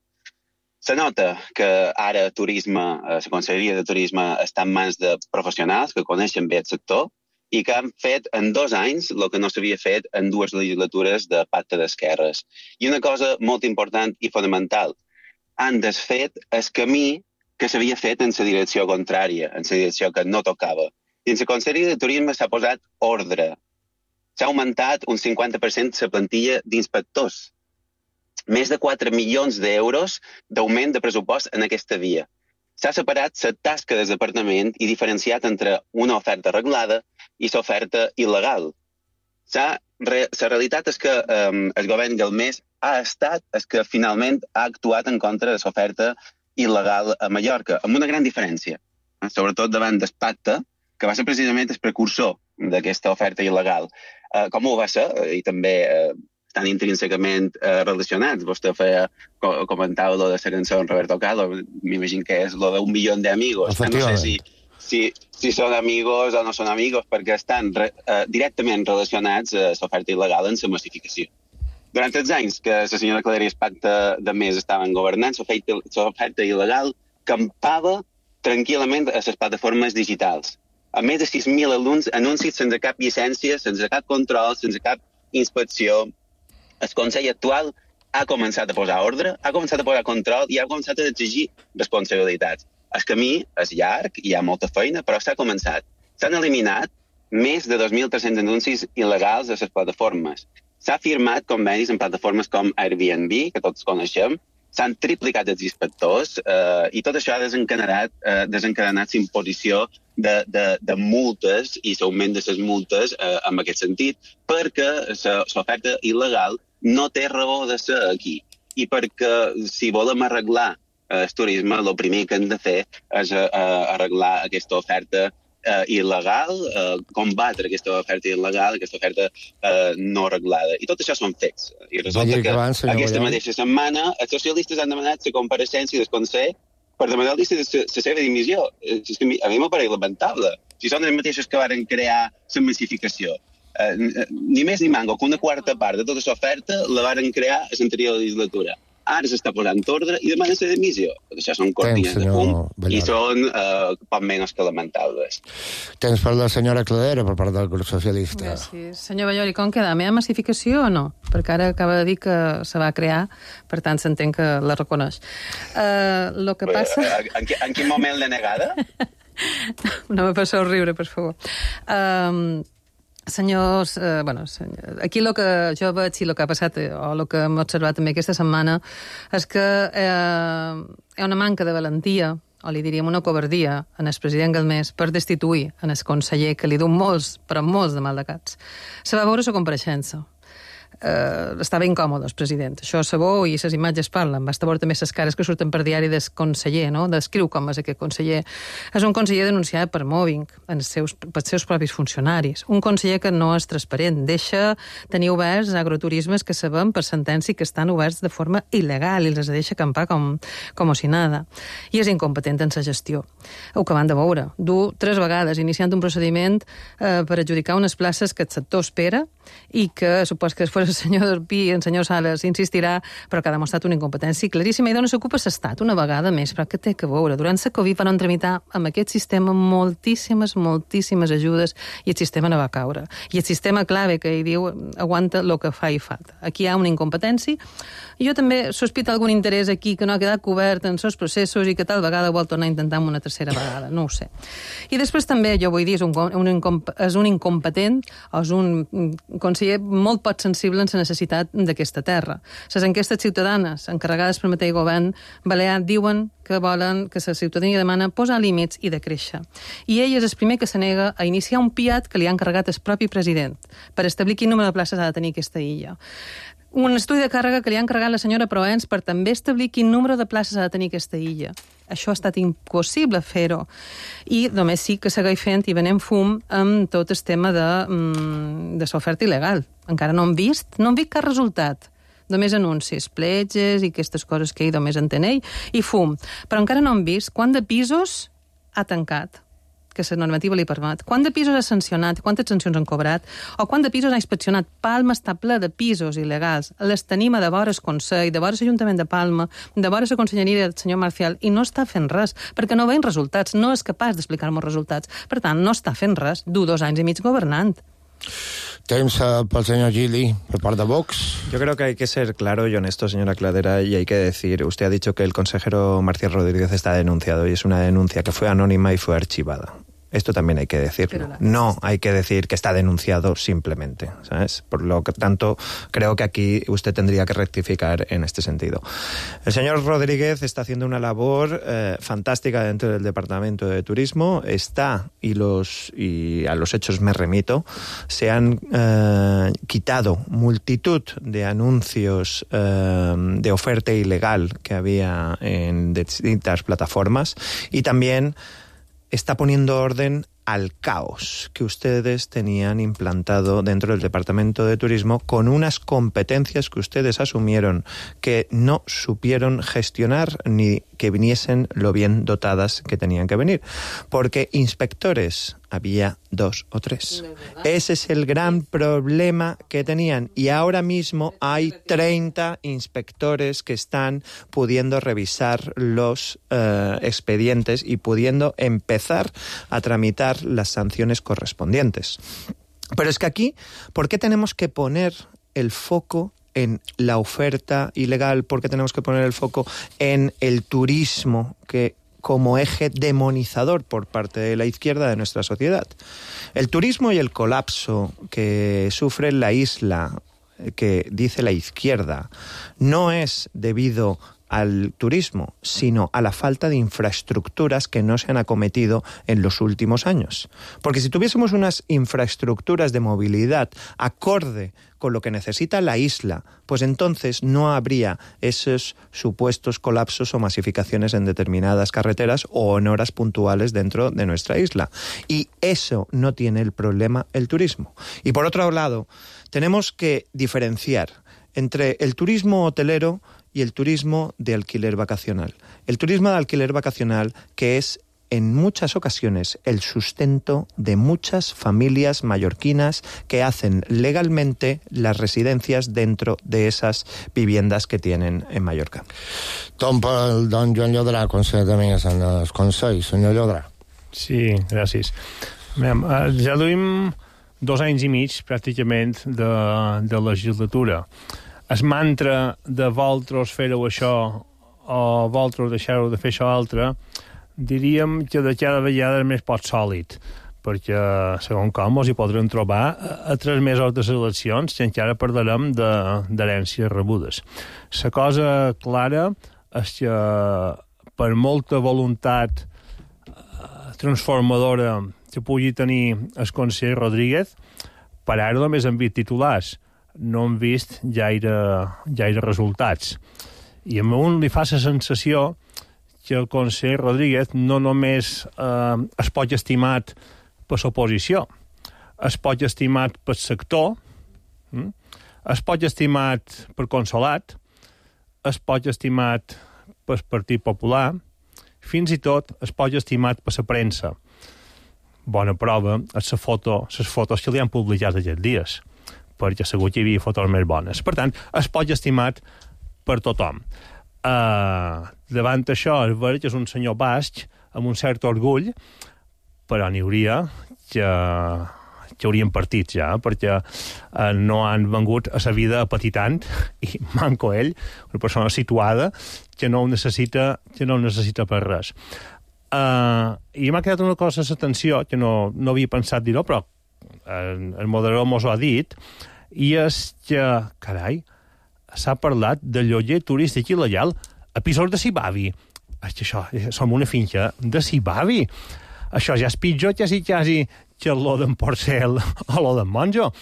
Se nota que ara la Conselleria de Turisme està en mans de professionals que coneixen bé el sector i que han fet en 2 anys el que no s'havia fet en 2 legislatures de pacte d'esquerres. I una cosa molt important i fonamental, han desfet el camí que s'havia fet en la direcció contrària, en la direcció que no tocava. I en la Conselleria de Turisme s'ha posat ordre. S'ha augmentat un 50% la plantilla d'inspectors. Més de 4 milions d'euros d'augment de pressupost en aquesta via. S'ha separat la tasca del departament i diferenciat entre una oferta reglada i l'oferta il·legal. La realitat és que el govern Galmés ha estat el que finalment ha actuat en contra de l'oferta il·legal a Mallorca, amb una gran diferència, sobretot davant del pacte, que va ser precisament el precursor d'aquesta oferta il·legal. Com ho va ser? I també estan intrínsecament relacionats. Vostè comentava lo de la cançó en Roberto Carlos, m'imagino que és lo de 1 milió d'amigos. No sé si són amigos o no són amigos, perquè estan directament relacionats a l'oferta il·legal en la massificació. Durant els anys que la senyora Cladera i el pacte de Més estaven governant, l'oferta il·legal campava tranquil·lament a les plataformes digitals. A més de 6.000 anuncis sense cap llicència, sense cap control, sense cap inspecció. El Consell actual ha començat a posar ordre, ha començat a posar control i ha començat a exigir responsabilitats. El camí és llarg, hi ha molta feina, però s'ha començat. S'han eliminat més de 2.300 anuncis il·legals a les plataformes. S'ha firmat convenis en plataformes com Airbnb, que tots coneixem, s'han triplicat els inspectors i tot això ha desencadenat l'imposició de multes i l'augment de les multes en aquest sentit, perquè l'oferta il·legal no té raó de ser aquí. I perquè si volem arreglar el turisme, el primer que hem de fer és arreglar aquesta oferta il·legal, combatre aquesta oferta il·legal, aquesta oferta no arreglada. I tot això són fets. I resulta que aquesta mateixa setmana els socialistes han demanat la compareixença del Consell per demanar la seva dimissió. A mi m'apareix lamentable. Si són els mateixos que van crear la massificació. Ni més ni manco, que una quarta part de tota l'oferta la van crear a l'anterior legislatura. Ara s'està posant ordre i demanen la dimissió. Això són cortines de fum i són poc menys que lamentables. Temps per la senyora Cladera per part del grup socialista. Gràcies. Senyor Ballol, i com queda? Hi ha massificació o no? Perquè ara acaba de dir que se va crear, per tant s'entén que la reconeix. Lo que passa... En quin moment l'he negada? No me passeu riure, per favor. Senyors, aquí el que jo veig i el que ha passat, o el que hem observat també aquesta setmana, és que hi ha una manca de valentia, o li diríem una covardia, en el president Galmés per destituir en el conseller, que li du molts, però molts de maldecats. Se va veure la compareixença. Estava incòmode el president. Això sabó i les imatges parlen. Basta veure també les cares que surten per diari del conseller, no? Descriu com és aquest conseller. És un conseller denunciat per mobbing pels seus propis funcionaris. Un conseller que no és transparent. Deixa tenir oberts agroturismes que sabem per sentència que estan oberts de forma il·legal i els deixa acampar com si nada. I és incompetent en la gestió. Ho que van de veure. Du 3 vegades iniciant un procediment per adjudicar unes places que el sector espera i que supos que després el senyor Dorpí i el senyor Sales insistirà, però que ha demostrat una incompetència claríssima i d'on s'ocupa l'Estat una vegada més, però que té que veure. Durant la Covid van tramitar amb aquest sistema moltíssimes ajudes i el sistema no va caure. I el sistema clave que hi diu aguanta el que fa i falta. Aquí hi ha una incompetència i jo també sospito algun interès aquí que no ha quedat cobert en els processos i que tal vegada vol tornar a intentar una tercera vegada, no ho sé. I després també, jo vull dir, és un incompetent o és un conseller molt poc sensible en la necessitat d'aquesta terra. Les enquestes ciutadanes encarregades per mateix govern balear diuen que volen, que la ciutadania demana posar límits i decréixer. I ell és el primer que se nega a iniciar un PIAT que li ha encarregat el propi president per establir quin número de places ha de tenir aquesta illa. Un estudi de càrrega que li ha encarregat la senyora Proens per també establir quin número de places ha de tenir aquesta illa. Això ha estat impossible fer-ho. I només sí que segueix fent i venent fum amb tot el tema de l'oferta il·legal. Encara no hem vist cap resultat. Només anuncis, pletges i aquestes coses que ell només entén ell, i fum. Però encara no hem vist quant de pisos ha tancat, que la normativa li permet. Quant de pisos ha sancionat, quantes sancions han cobrat, o quant de pisos ha inspeccionat. Palma està ple de pisos il·legals. Les tenim a de vora el Consell, de vora l'Ajuntament de Palma, de vora la Conselleria del senyor Marcial, i no està fent res, perquè no veiem resultats, no és capaç d'explicar-nos resultats. Per tant, no està fent res. Du 2 anys i mig governant. Temps pel señor Gili, por parte de Vox. Yo creo que hay que ser claro y honesto, señora Cladera, y hay que decir, usted ha dicho que el consejero Marcial Rodríguez está denunciado y es una denuncia que fue anónima y fue archivada. Esto también hay que decirlo. No hay que decir que está denunciado simplemente, ¿sabes? Por lo que tanto, creo que aquí usted tendría que rectificar en este sentido. El señor Rodríguez está haciendo una labor fantástica dentro del Departamento de Turismo. Y a los hechos me remito, se han quitado multitud de anuncios de oferta ilegal que había en distintas plataformas y también está poniendo orden al caos que ustedes tenían implantado dentro del Departamento de Turismo con unas competencias que ustedes asumieron que no supieron gestionar ni que viniesen lo bien dotadas que tenían que venir. Porque inspectores había 2 o 3. Ese es el gran problema que tenían. Y ahora mismo hay 30 inspectores que están pudiendo revisar los expedientes y pudiendo empezar a tramitar las sanciones correspondientes. Pero es que aquí, ¿por qué tenemos que poner el foco en la oferta ilegal? ¿Por qué tenemos que poner el foco en el turismo que como eje demonizador por parte de la izquierda de nuestra sociedad? El turismo y el colapso que sufre la isla, que dice la izquierda, no es debido al turismo, sino a la falta de infraestructuras que no se han acometido en los últimos años. Porque si tuviésemos unas infraestructuras de movilidad acorde con lo que necesita la isla, pues entonces no habría esos supuestos colapsos o masificaciones en determinadas carreteras o en horas puntuales dentro de nuestra isla. Y eso no tiene el problema el turismo. Y por otro lado, tenemos que diferenciar entre el turismo hotelero y el turismo de alquiler vacacional. El turismo de alquiler vacacional, que es en muchas ocasiones el sustento de muchas familias mallorquinas que hacen legalmente las residencias dentro de esas viviendas que tienen en Mallorca. Don Joan Llodrà, conseller de Més en el Consell. Senyor Llodrà. Sí, gràcies. Ja duim 2 anys i mig, pràcticament, de legislatura. El mantra de vosaltres feu això o vosaltres deixeu de fer això altre, diríem que de cada vegada és més poc sòlid, perquè, segons com, hi podrem trobar a 3 mesos de les eleccions que encara parlarem d'herències rebudes. La cosa clara és que per molta voluntat transformadora que pugui tenir el conseller Rodríguez, per ara només hem vist titulars, no hem vist gaire resultats. I a un li fa la sensació que el conseller Rodríguez no només es pot estimat per l'oposició, es pot estimat pel sector, es pot estimat per Consolat, es pot estimat pel Partit Popular, fins i tot es pot estimat per la premsa. Bona prova és les fotos que li han publicat aquests dies, perquè segur que hi havia fotos més bones. Per tant, es pot estimat per tothom. Davant això, és veritat que és un senyor basc amb un cert orgull, però n'hi hauria que haurien partit ja, perquè no han vengut a la vida apetitant, i manco ell, una persona situada que no ho necessita per res. I m'ha quedat una cosa a l'atenció que no havia pensat dir-ho, però el moderador mos ho ha dit, i és que, carai, s'ha parlat de lloguer turístic il·legal a pisos de Sibavi. És que això, som una finca de Sibavi. Això ja és pitjor que quasi que lo d'en Porcel o lo d'en Monjo,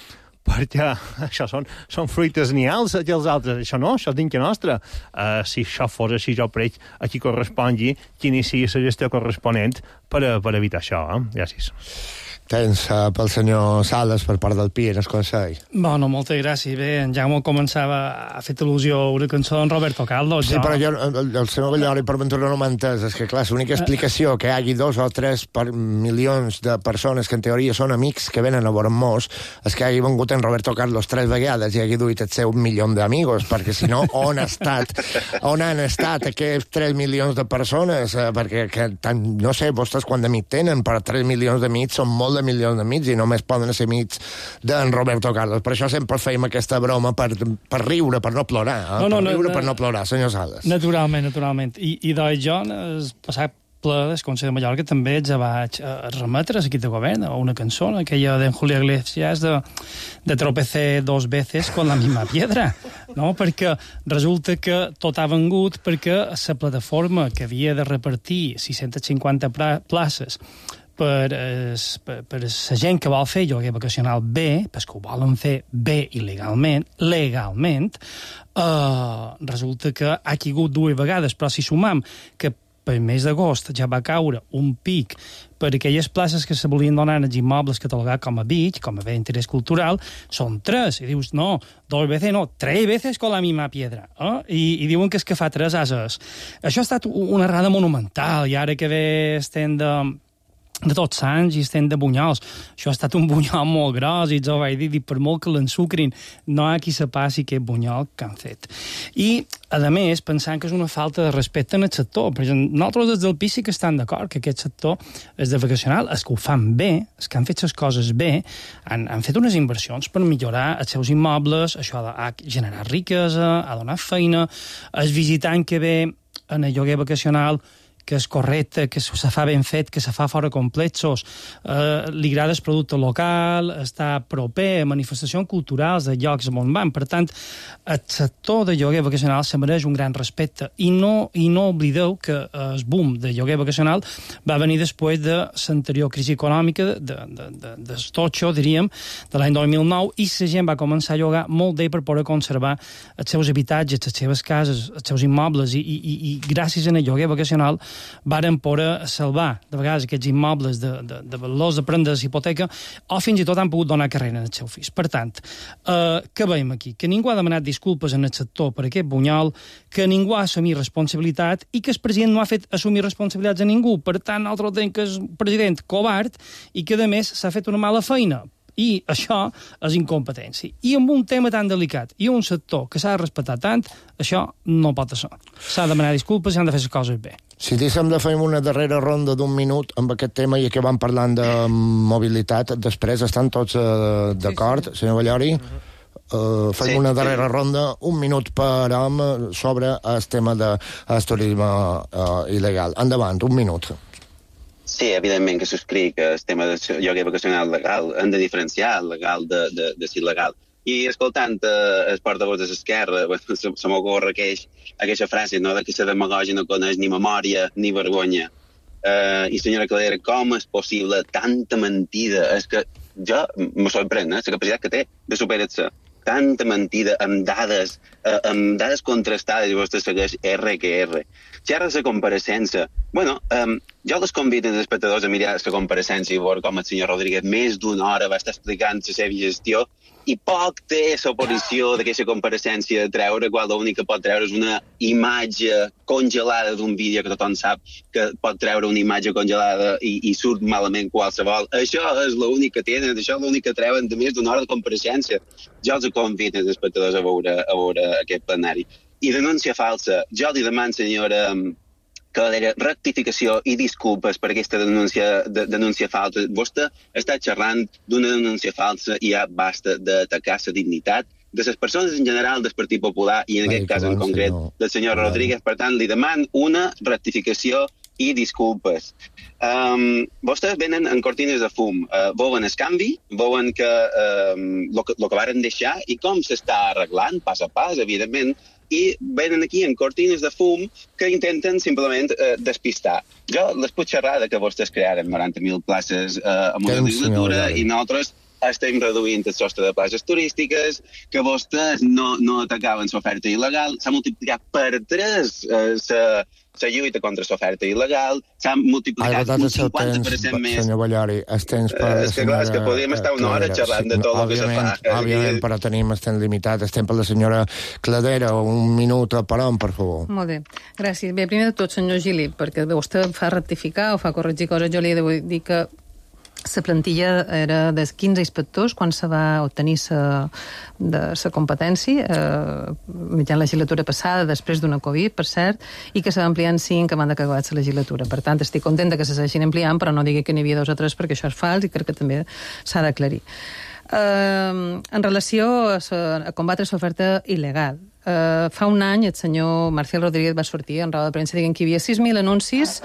perquè això són fruites nials, que els altres. Això no, això és dintre nostra. Si això fos així, jo crec a qui correspongui, qui inici la gestió corresponent per evitar això. Gràcies. Tens pel senyor Sales per part del PIE en el Consell. Bueno, moltes gràcies. Bé, en Jaume començava a fer al·lusió a una cançó d'en Roberto Carlos. Sí, però jo, el senyor Bellori per ventura no m'ha entès. És que, clar, l'única explicació que hi hagi 2 o 3 milions de persones que en teoria són amics que venen a veure-nos és que hagi vengut en Roberto Carlos 3 vegades i hagi duit el seu 1 milió d'amigos, perquè si no, on han estat aquests 3 milions de persones? Perquè, no sé, vostès quant d'amics tenen, però 3 milions d'amics són molt de milions d'amics i només poden ser amics d'en Roberto Carlos. Per això sempre fèiem aquesta broma per riure, per no plorar. Per riure, per no plorar, senyor Sales. Naturalment. I doncs jo, el passat ple del Consell de Mallorca també ja vaig remetre a l'equip de govern a una cançó, aquella d'en Julio Iglesias de tropecé 2 veces con la misma piedra, no? Perquè resulta que tot ha vengut perquè la plataforma que havia de repartir 650 places per la gent que vol fer lloguer vacacional bé, perquè ho volen fer bé i legalment, resulta que ha caigut 2 vegades, però si sumam que per mes d'agost ja va caure un pic per aquelles places que se volien donar als immobles catalogats com a beach, com a bé d'interès cultural, són 3. I dius, no, 2 veces no, 3 veces con la misma piedra. I diuen que és que fa 3 ases. Això ha estat una errada monumental, i ara que ve estem de Tots Sants i estem de bunyols. Això ha estat un bunyol molt gros, i jo vaig dir, per molt que l'ensucrin, no hi ha qui se passi aquest bunyol que han fet. I, a més, pensant que és una falta de respecte en el sector, perquè nosaltres des del PIS sí que estan d'acord que aquest sector és de vacacional, és que ho fan bé, és que han fet les coses bé, han fet unes inversions per millorar els seus immobles, això ha generat riquesa, ha donat feina, el visitant que ve en el lloguer vacacional que és correcte, que se fa ben fet, que se fa fora complexos, li agrada el producte local, està proper a manifestacions culturals de llocs on van. Per tant, el sector de lloguer vacacional se mereix un gran respecte. I no oblideu que el boom de lloguer vacacional va venir després de l'anterior crisi econòmica, del totxo, diríem, de l'any 2009, i la gent va començar a llogar molt bé per poder conservar els seus habitatges, les seves cases, els seus immobles, i gràcies al lloguer vacacional varen poder salvar, de vegades, aquests immobles de valors de prendre hipoteca, o fins i tot han pogut donar carrera als seus fills. Per tant, què veiem aquí? Que ningú ha demanat disculpes en el sector per aquest bunyol, que ningú ha assumit responsabilitat i que el president no ha fet assumir responsabilitats a ningú. Per tant, nosaltres tenim que és un president covard i que, a més, s'ha fet una mala feina. I això és incompetència. I amb un tema tan delicat i un sector que s'ha de respectar tant, això no pot ser. S'ha de demanar disculpes i han de fer les coses bé. Si diguéssim de fer una darrera ronda d'1 minut amb aquest tema i acabem parlant de mobilitat, després estan tots d'acord, senyor Ballori? Fem una darrera ronda, 1 minut per home, sobre el tema del turisme il·legal. Endavant, 1 minut. Sí, evidentment que subscric el tema del lloguer vacacional legal. Hem de diferenciar el legal de l'il·legal. I escoltant els portavols de l'esquerra, se m'ocorre aquesta frase, no?, que la demagògia no coneix ni memòria ni vergonya. I senyora Caldera, com és possible tanta mentida? És que jo me sorprèn, la capacitat que té de superar-se. Tanta mentida amb dades contrastades, i vostè segueix R que R. Xerra la compareixença. Bueno, jo les convido als espectadors a mirar la compareixença i veure com el senyor Rodríguez més d'una hora va estar explicant la seva gestió, i poc té l'oposició d'aquesta compareixença de treure, quan l'únic que pot treure és una imatge congelada d'un vídeo que tothom sap que pot treure una imatge congelada i surt malament qualsevol. Això és l'únic que tenen, això és l'únic que treuen de més d'una hora de compareixença. Jo els convido als espectadors a veure aquest plenari. I denúncia falsa. Jo li demano, senyora Caldera, rectificació i disculpes per aquesta denúncia falsa. Vostè està xerrant d'una denúncia falsa i ja basta d'atacar la dignitat de les persones en general del Partit Popular i en aquest cas en concret del senyor Rodríguez. Per tant, li demano una rectificació i disculpes. Vostès venen en cortines de fum. Volen el canvi, volen que el que varen deixar i com s'està arreglant, pas a pas, evidentment, i venen aquí en cortines de fum que intenten simplement despistar. Jo les puc xerrar que vostès crearen 90.000 places en una legislatura i nosaltres estem reduint el sostre de places turístiques, que vostès no atacaven l'oferta il·legal, s'ha multiplicat per 3 la lluita contra l'oferta il·legal, s'ha multiplicat un 50% més. Senyor Ballori, els temps per... És que podríem estar una hora xerrant de tot el que se fa. Òbviament, però tenim el temps limitat. El temps per la senyora Caldera, 1 minut per home, per favor. Molt bé, gràcies. Bé, primer de tot, senyor Gili, perquè vostè fa rectificar o fa corregir coses, jo li he de dir que la plantilla era de 15 inspectors quan se va obtenir la competència mitjançant la legislatura passada, després d'una Covid, per cert, i que s'ha ampliat en 5 abans d'acabar la legislatura. Per tant, estic contenta que se s'hagin ampliant, però no digui que n'hi havia 2 o 3 perquè això és fals i crec que també s'ha d'aclarir. En relació a combatre l'oferta il·legal, Fa un any el senyor Marcial Rodríguez va sortir en roda de premsa dient que hi havia 6.000 anuncis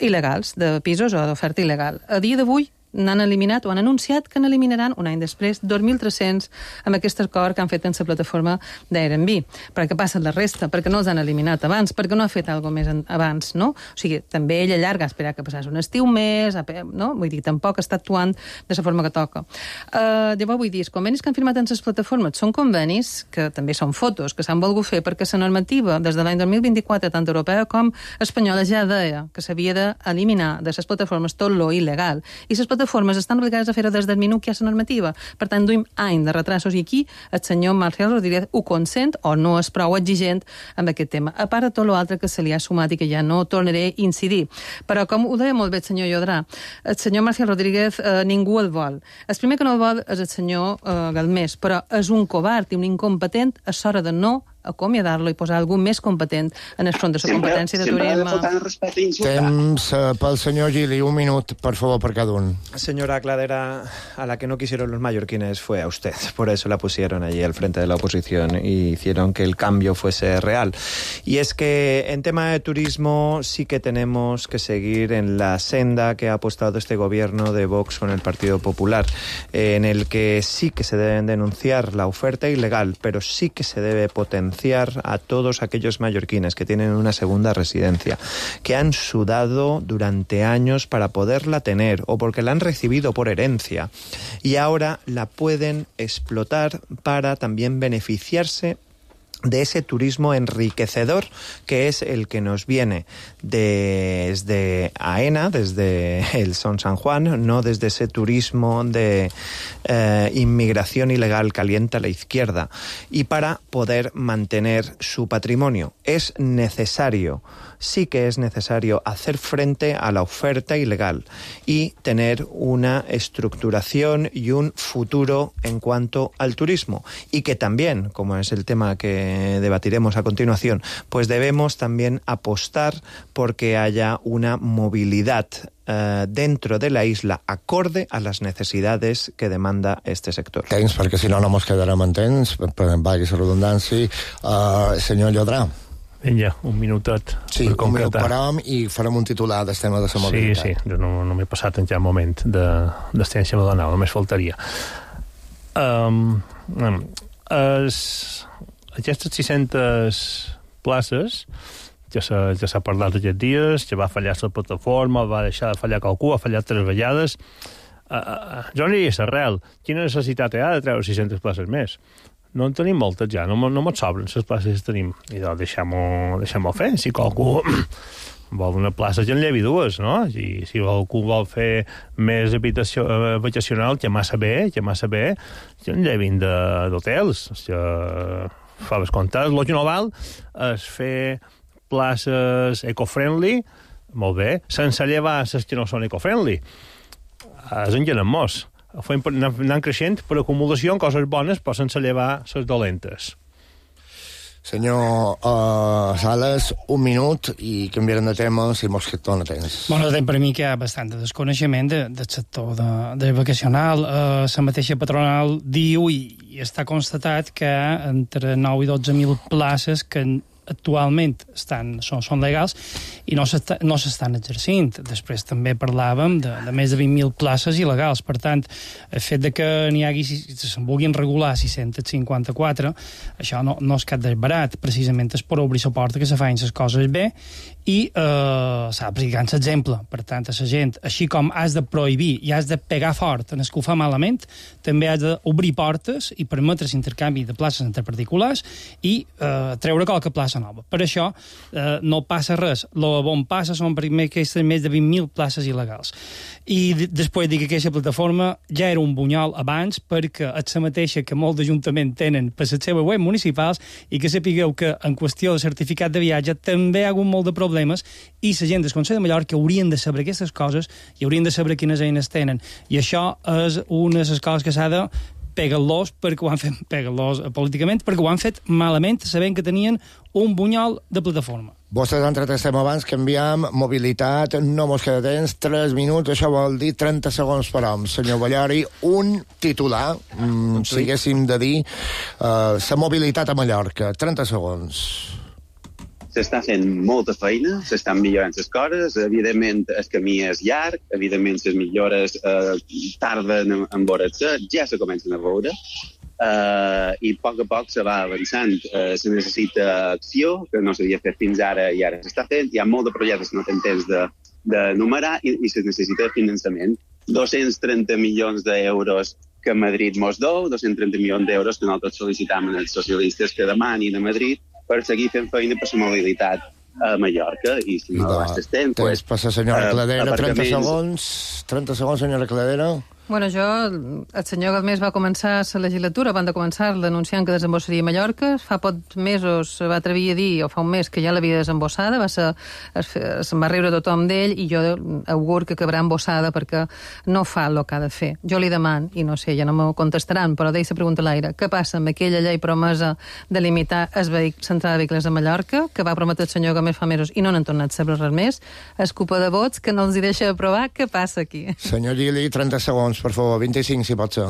il·legals de pisos o d'oferta il·legal. A dia d'avui n'han eliminat o han anunciat que n'eliminaran un any després 2.300 amb aquest acord que han fet en la plataforma d'Airbnb. Però què passa amb la resta? Perquè no els han eliminat abans? Perquè no ha fet alguna més abans, no? O sigui, també ell allarga a esperar que passés un estiu més, no? Vull dir, tampoc està actuant de la forma que toca. Llavors vull dir, els convenis que han firmat en les plataformes són convenis que també són fotos, que s'han volgut fer perquè la normativa des de l'any 2024, tant europea com espanyola, ja deia que s'havia d'eliminar de les plataformes tot lo il·legal. I les plataformes estan obligades a fer-ho des del minut que hi ha la normativa. Per tant, duim any de retrasos i aquí el senyor Marcial Rodríguez ho consent o no és prou exigent amb aquest tema. A part de tot l'altre que se li ha sumat i que ja no tornaré a incidir. Però com ho deia molt bé el senyor Llodrà, el senyor Marcial Rodríguez ningú el vol. El primer que no el vol és el senyor Galmés, però és un covard i un incompetent a l'hora de no acomiadar-lo i posar algú més competent en el front de la competència de turisme. Temps pel senyor Gili, un minut, por favor, per cada un. Señora Cladera, a la que no quisieron los mallorquines fue a usted. Por eso la pusieron allí al frente de la oposición y hicieron que el cambio fuese real. Y es que en tema de turismo sí que tenemos que seguir en la senda que ha apostado este gobierno de Vox con el Partido Popular, en el que sí que se deben denunciar la oferta ilegal, pero sí que se debe potenciar a todos aquellos mallorquines que tienen una segunda residencia, que han sudado durante años para poderla tener o porque la han recibido por herencia y ahora la pueden explotar para también beneficiarse de ese turismo enriquecedor que es el que nos viene desde AENA, desde el Son San Juan, no desde ese turismo de inmigración ilegal que alienta a la izquierda, y para poder mantener su patrimonio. Es necesario, sí que es necesario hacer frente a la oferta ilegal y tener una estructuración y un futuro en cuanto al turismo, y que también, como es el tema que debatiremos a continuación, pues debemos también apostar porque haya una movilidad dentro de la isla acorde a las necesidades que demanda este sector. Temps, perquè si no, no mos quedarem en temps, valgui la redundància. Senyor Llodrà. Vinga, un minutet. Sí, un minut parem i farem un titular del tema de la mobilitat. Sí, jo no m'he passat en cap moment d'estència medonal, només faltaria. Aquestes 600 places ja s'ha parlat aquests dies, que va fallar la plataforma, va deixar de fallar qualcú, ha fallat 3 vegades. Jo aniria a l'arrel. Quina necessitat hi ha de treure 600 places més? No en tenim moltes ja, no ens sobren les places que tenim. I doncs deixem-ho fer. Si qualcú vol una plaça, ja en llevi 2, no? I si algú vol fer més habitació vacacional, que massa bé, ja en llevin d'hotels. Fa les comptes. El que no val és fer places eco-friendly, molt bé, sense llevar les que no són eco-friendly. És enllenant-mos. Anant creixent per acumulació en coses bones, però sense llevar les dolentes. Senyor Sales, un minut i canviarem de tema si mos dona temps. Bueno, per mi que hi ha bastant de desconeixement del sector de vacacional. La mateixa patronal diu i està constatat que entre 9 i 12.000 places que actualment són legals i no s'estan exercint. Després també parlàvem de més de 20.000 places il·legals. Per tant, el fet de que n'hi hagi, se'n vulguin regular 654, això no és cap desbarat. Precisament és per obrir la porta que se facin les coses bé i s'ha d'aplicar l'exemple. Per tant, a la gent, així com has de prohibir i has de pegar fort en el que ho fa malament, també has d'obrir portes i permetre l'intercanvi de places entre particulars i treure qualque plaça nova. Per això no passa res. El bon passa són primer aquestes més de 20.000 places il·legals. I després dic que aquesta plataforma ja era un bunyol abans perquè és la mateixa que molts ajuntaments tenen per les seves web municipals i que sapigueu que en qüestió de certificat de viatge també hi ha hagut molt de problemes i la gent del Consell de Mallorca haurien de saber aquestes coses i haurien de saber quines eines tenen. I això és una de les coses que s'ha de peguen-los políticament perquè ho han fet malament, sabent que tenien un bunyol de plataforma. Vostès han tret estem abans, canviam, mobilitat, no mos queda temps, 3 minuts, això vol dir 30 segons per hom. Senyor Ballori, un titular, si haguéssim de dir, la mobilitat a Mallorca, 30 segons. S'està fent molta feina, s'estan millorant les coses, evidentment el camí és llarg, evidentment les millores tarden en veure's, ja se comencen a veure, i a poc se va avançant. Se necessita acció, que no s'havia fet fins ara i ara s'està fent, hi ha molt de projectes que no tenen temps de numerar i se necessita finançament. 230 milions d'euros que Madrid mos deu, 230 milions d'euros que nosaltres sol·licitam als socialistes que demanin a Madrid per seguir fent feina per la mobilitat a Mallorca. I si no l'hastes temps... Temps passa, senyora Cladera, 30 segons. 30 segons, senyora Cladera. Bueno, el senyor Galmés va començar la legislatura, van de començar-la anunciant que desembossaria a Mallorca. Fa pocs mesos va atrevir a dir, o fa un mes, que ja l'havia desembossada, se'n va riure tothom d'ell, i jo augur que acabarà embossada perquè no fa el que ha de fer. Jo li deman, i no sé, ja no m'ho contestaran, però deixa pregunta a l'aire, què passa amb aquella llei promesa de limitar l'entrada de vehicles a Mallorca, que va prometre el senyor Galmés fa mesos i no n'han tornat a saber res més? És culpa de vots que no els hi deixa aprovar. Què passa aquí? Senyor Gili, 30 segons. Por favor, 25 si pot ser.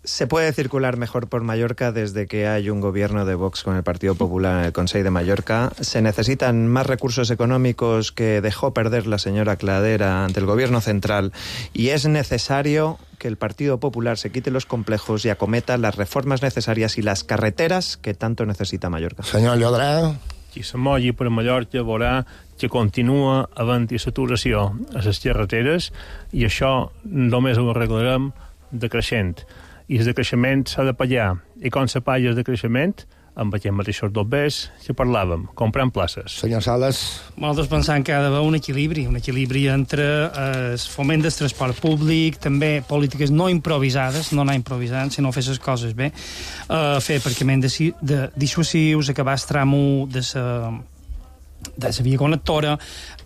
Se puede circular mejor por Mallorca desde que hay un gobierno de Vox con el Partido Popular en el Consejo de Mallorca. Se necesitan más recursos económicos que dejó perder la señora Cladera ante el gobierno central, y es necesario que el Partido Popular se quite los complejos y acometa las reformas necesarias y las carreteras que tanto necesita Mallorca. Señor Llodrà. Qui se mogui per Mallorca veurà que continua havent-hi saturació a les carreteres, i això només ho arreglarem decreixent. I el decreixement s'ha de pagar. I com se paga el decreixement? Amb aquests mateixos dobbers que parlàvem, comprant places. Senyor Sales. Nosaltres pensem que ha d'haver un equilibri entre el foment del transport públic, també polítiques no improvisades, no anar improvisant, sinó fer les coses bé, fer aparcament dissuasius, acabar el tram 1 de la via connectora,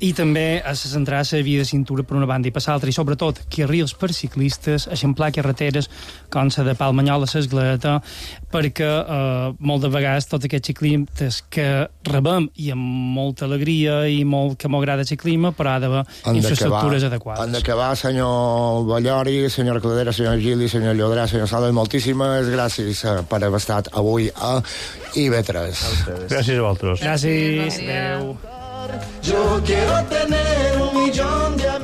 i també a centrar la via de cintura per una banda i per l'altra, i sobretot carrils per ciclistes, eixamplar carreteres com la de Palmanyol a l'Esgleta, perquè molt de vegades tots aquests ciclistes que rebem i amb molta alegria i que m'agrada el ciclisme, però ha d'haver infraestructures adequades. Han d'acabar, senyor Ballori, senyora Cladera, senyor Gili, senyor Llodrà, senyor Sales, moltíssimes gràcies per haver estat avui a IB3. Gràcies a vosaltres. Gràcies. Adéu. Yo quiero tener 1 millón de amigos.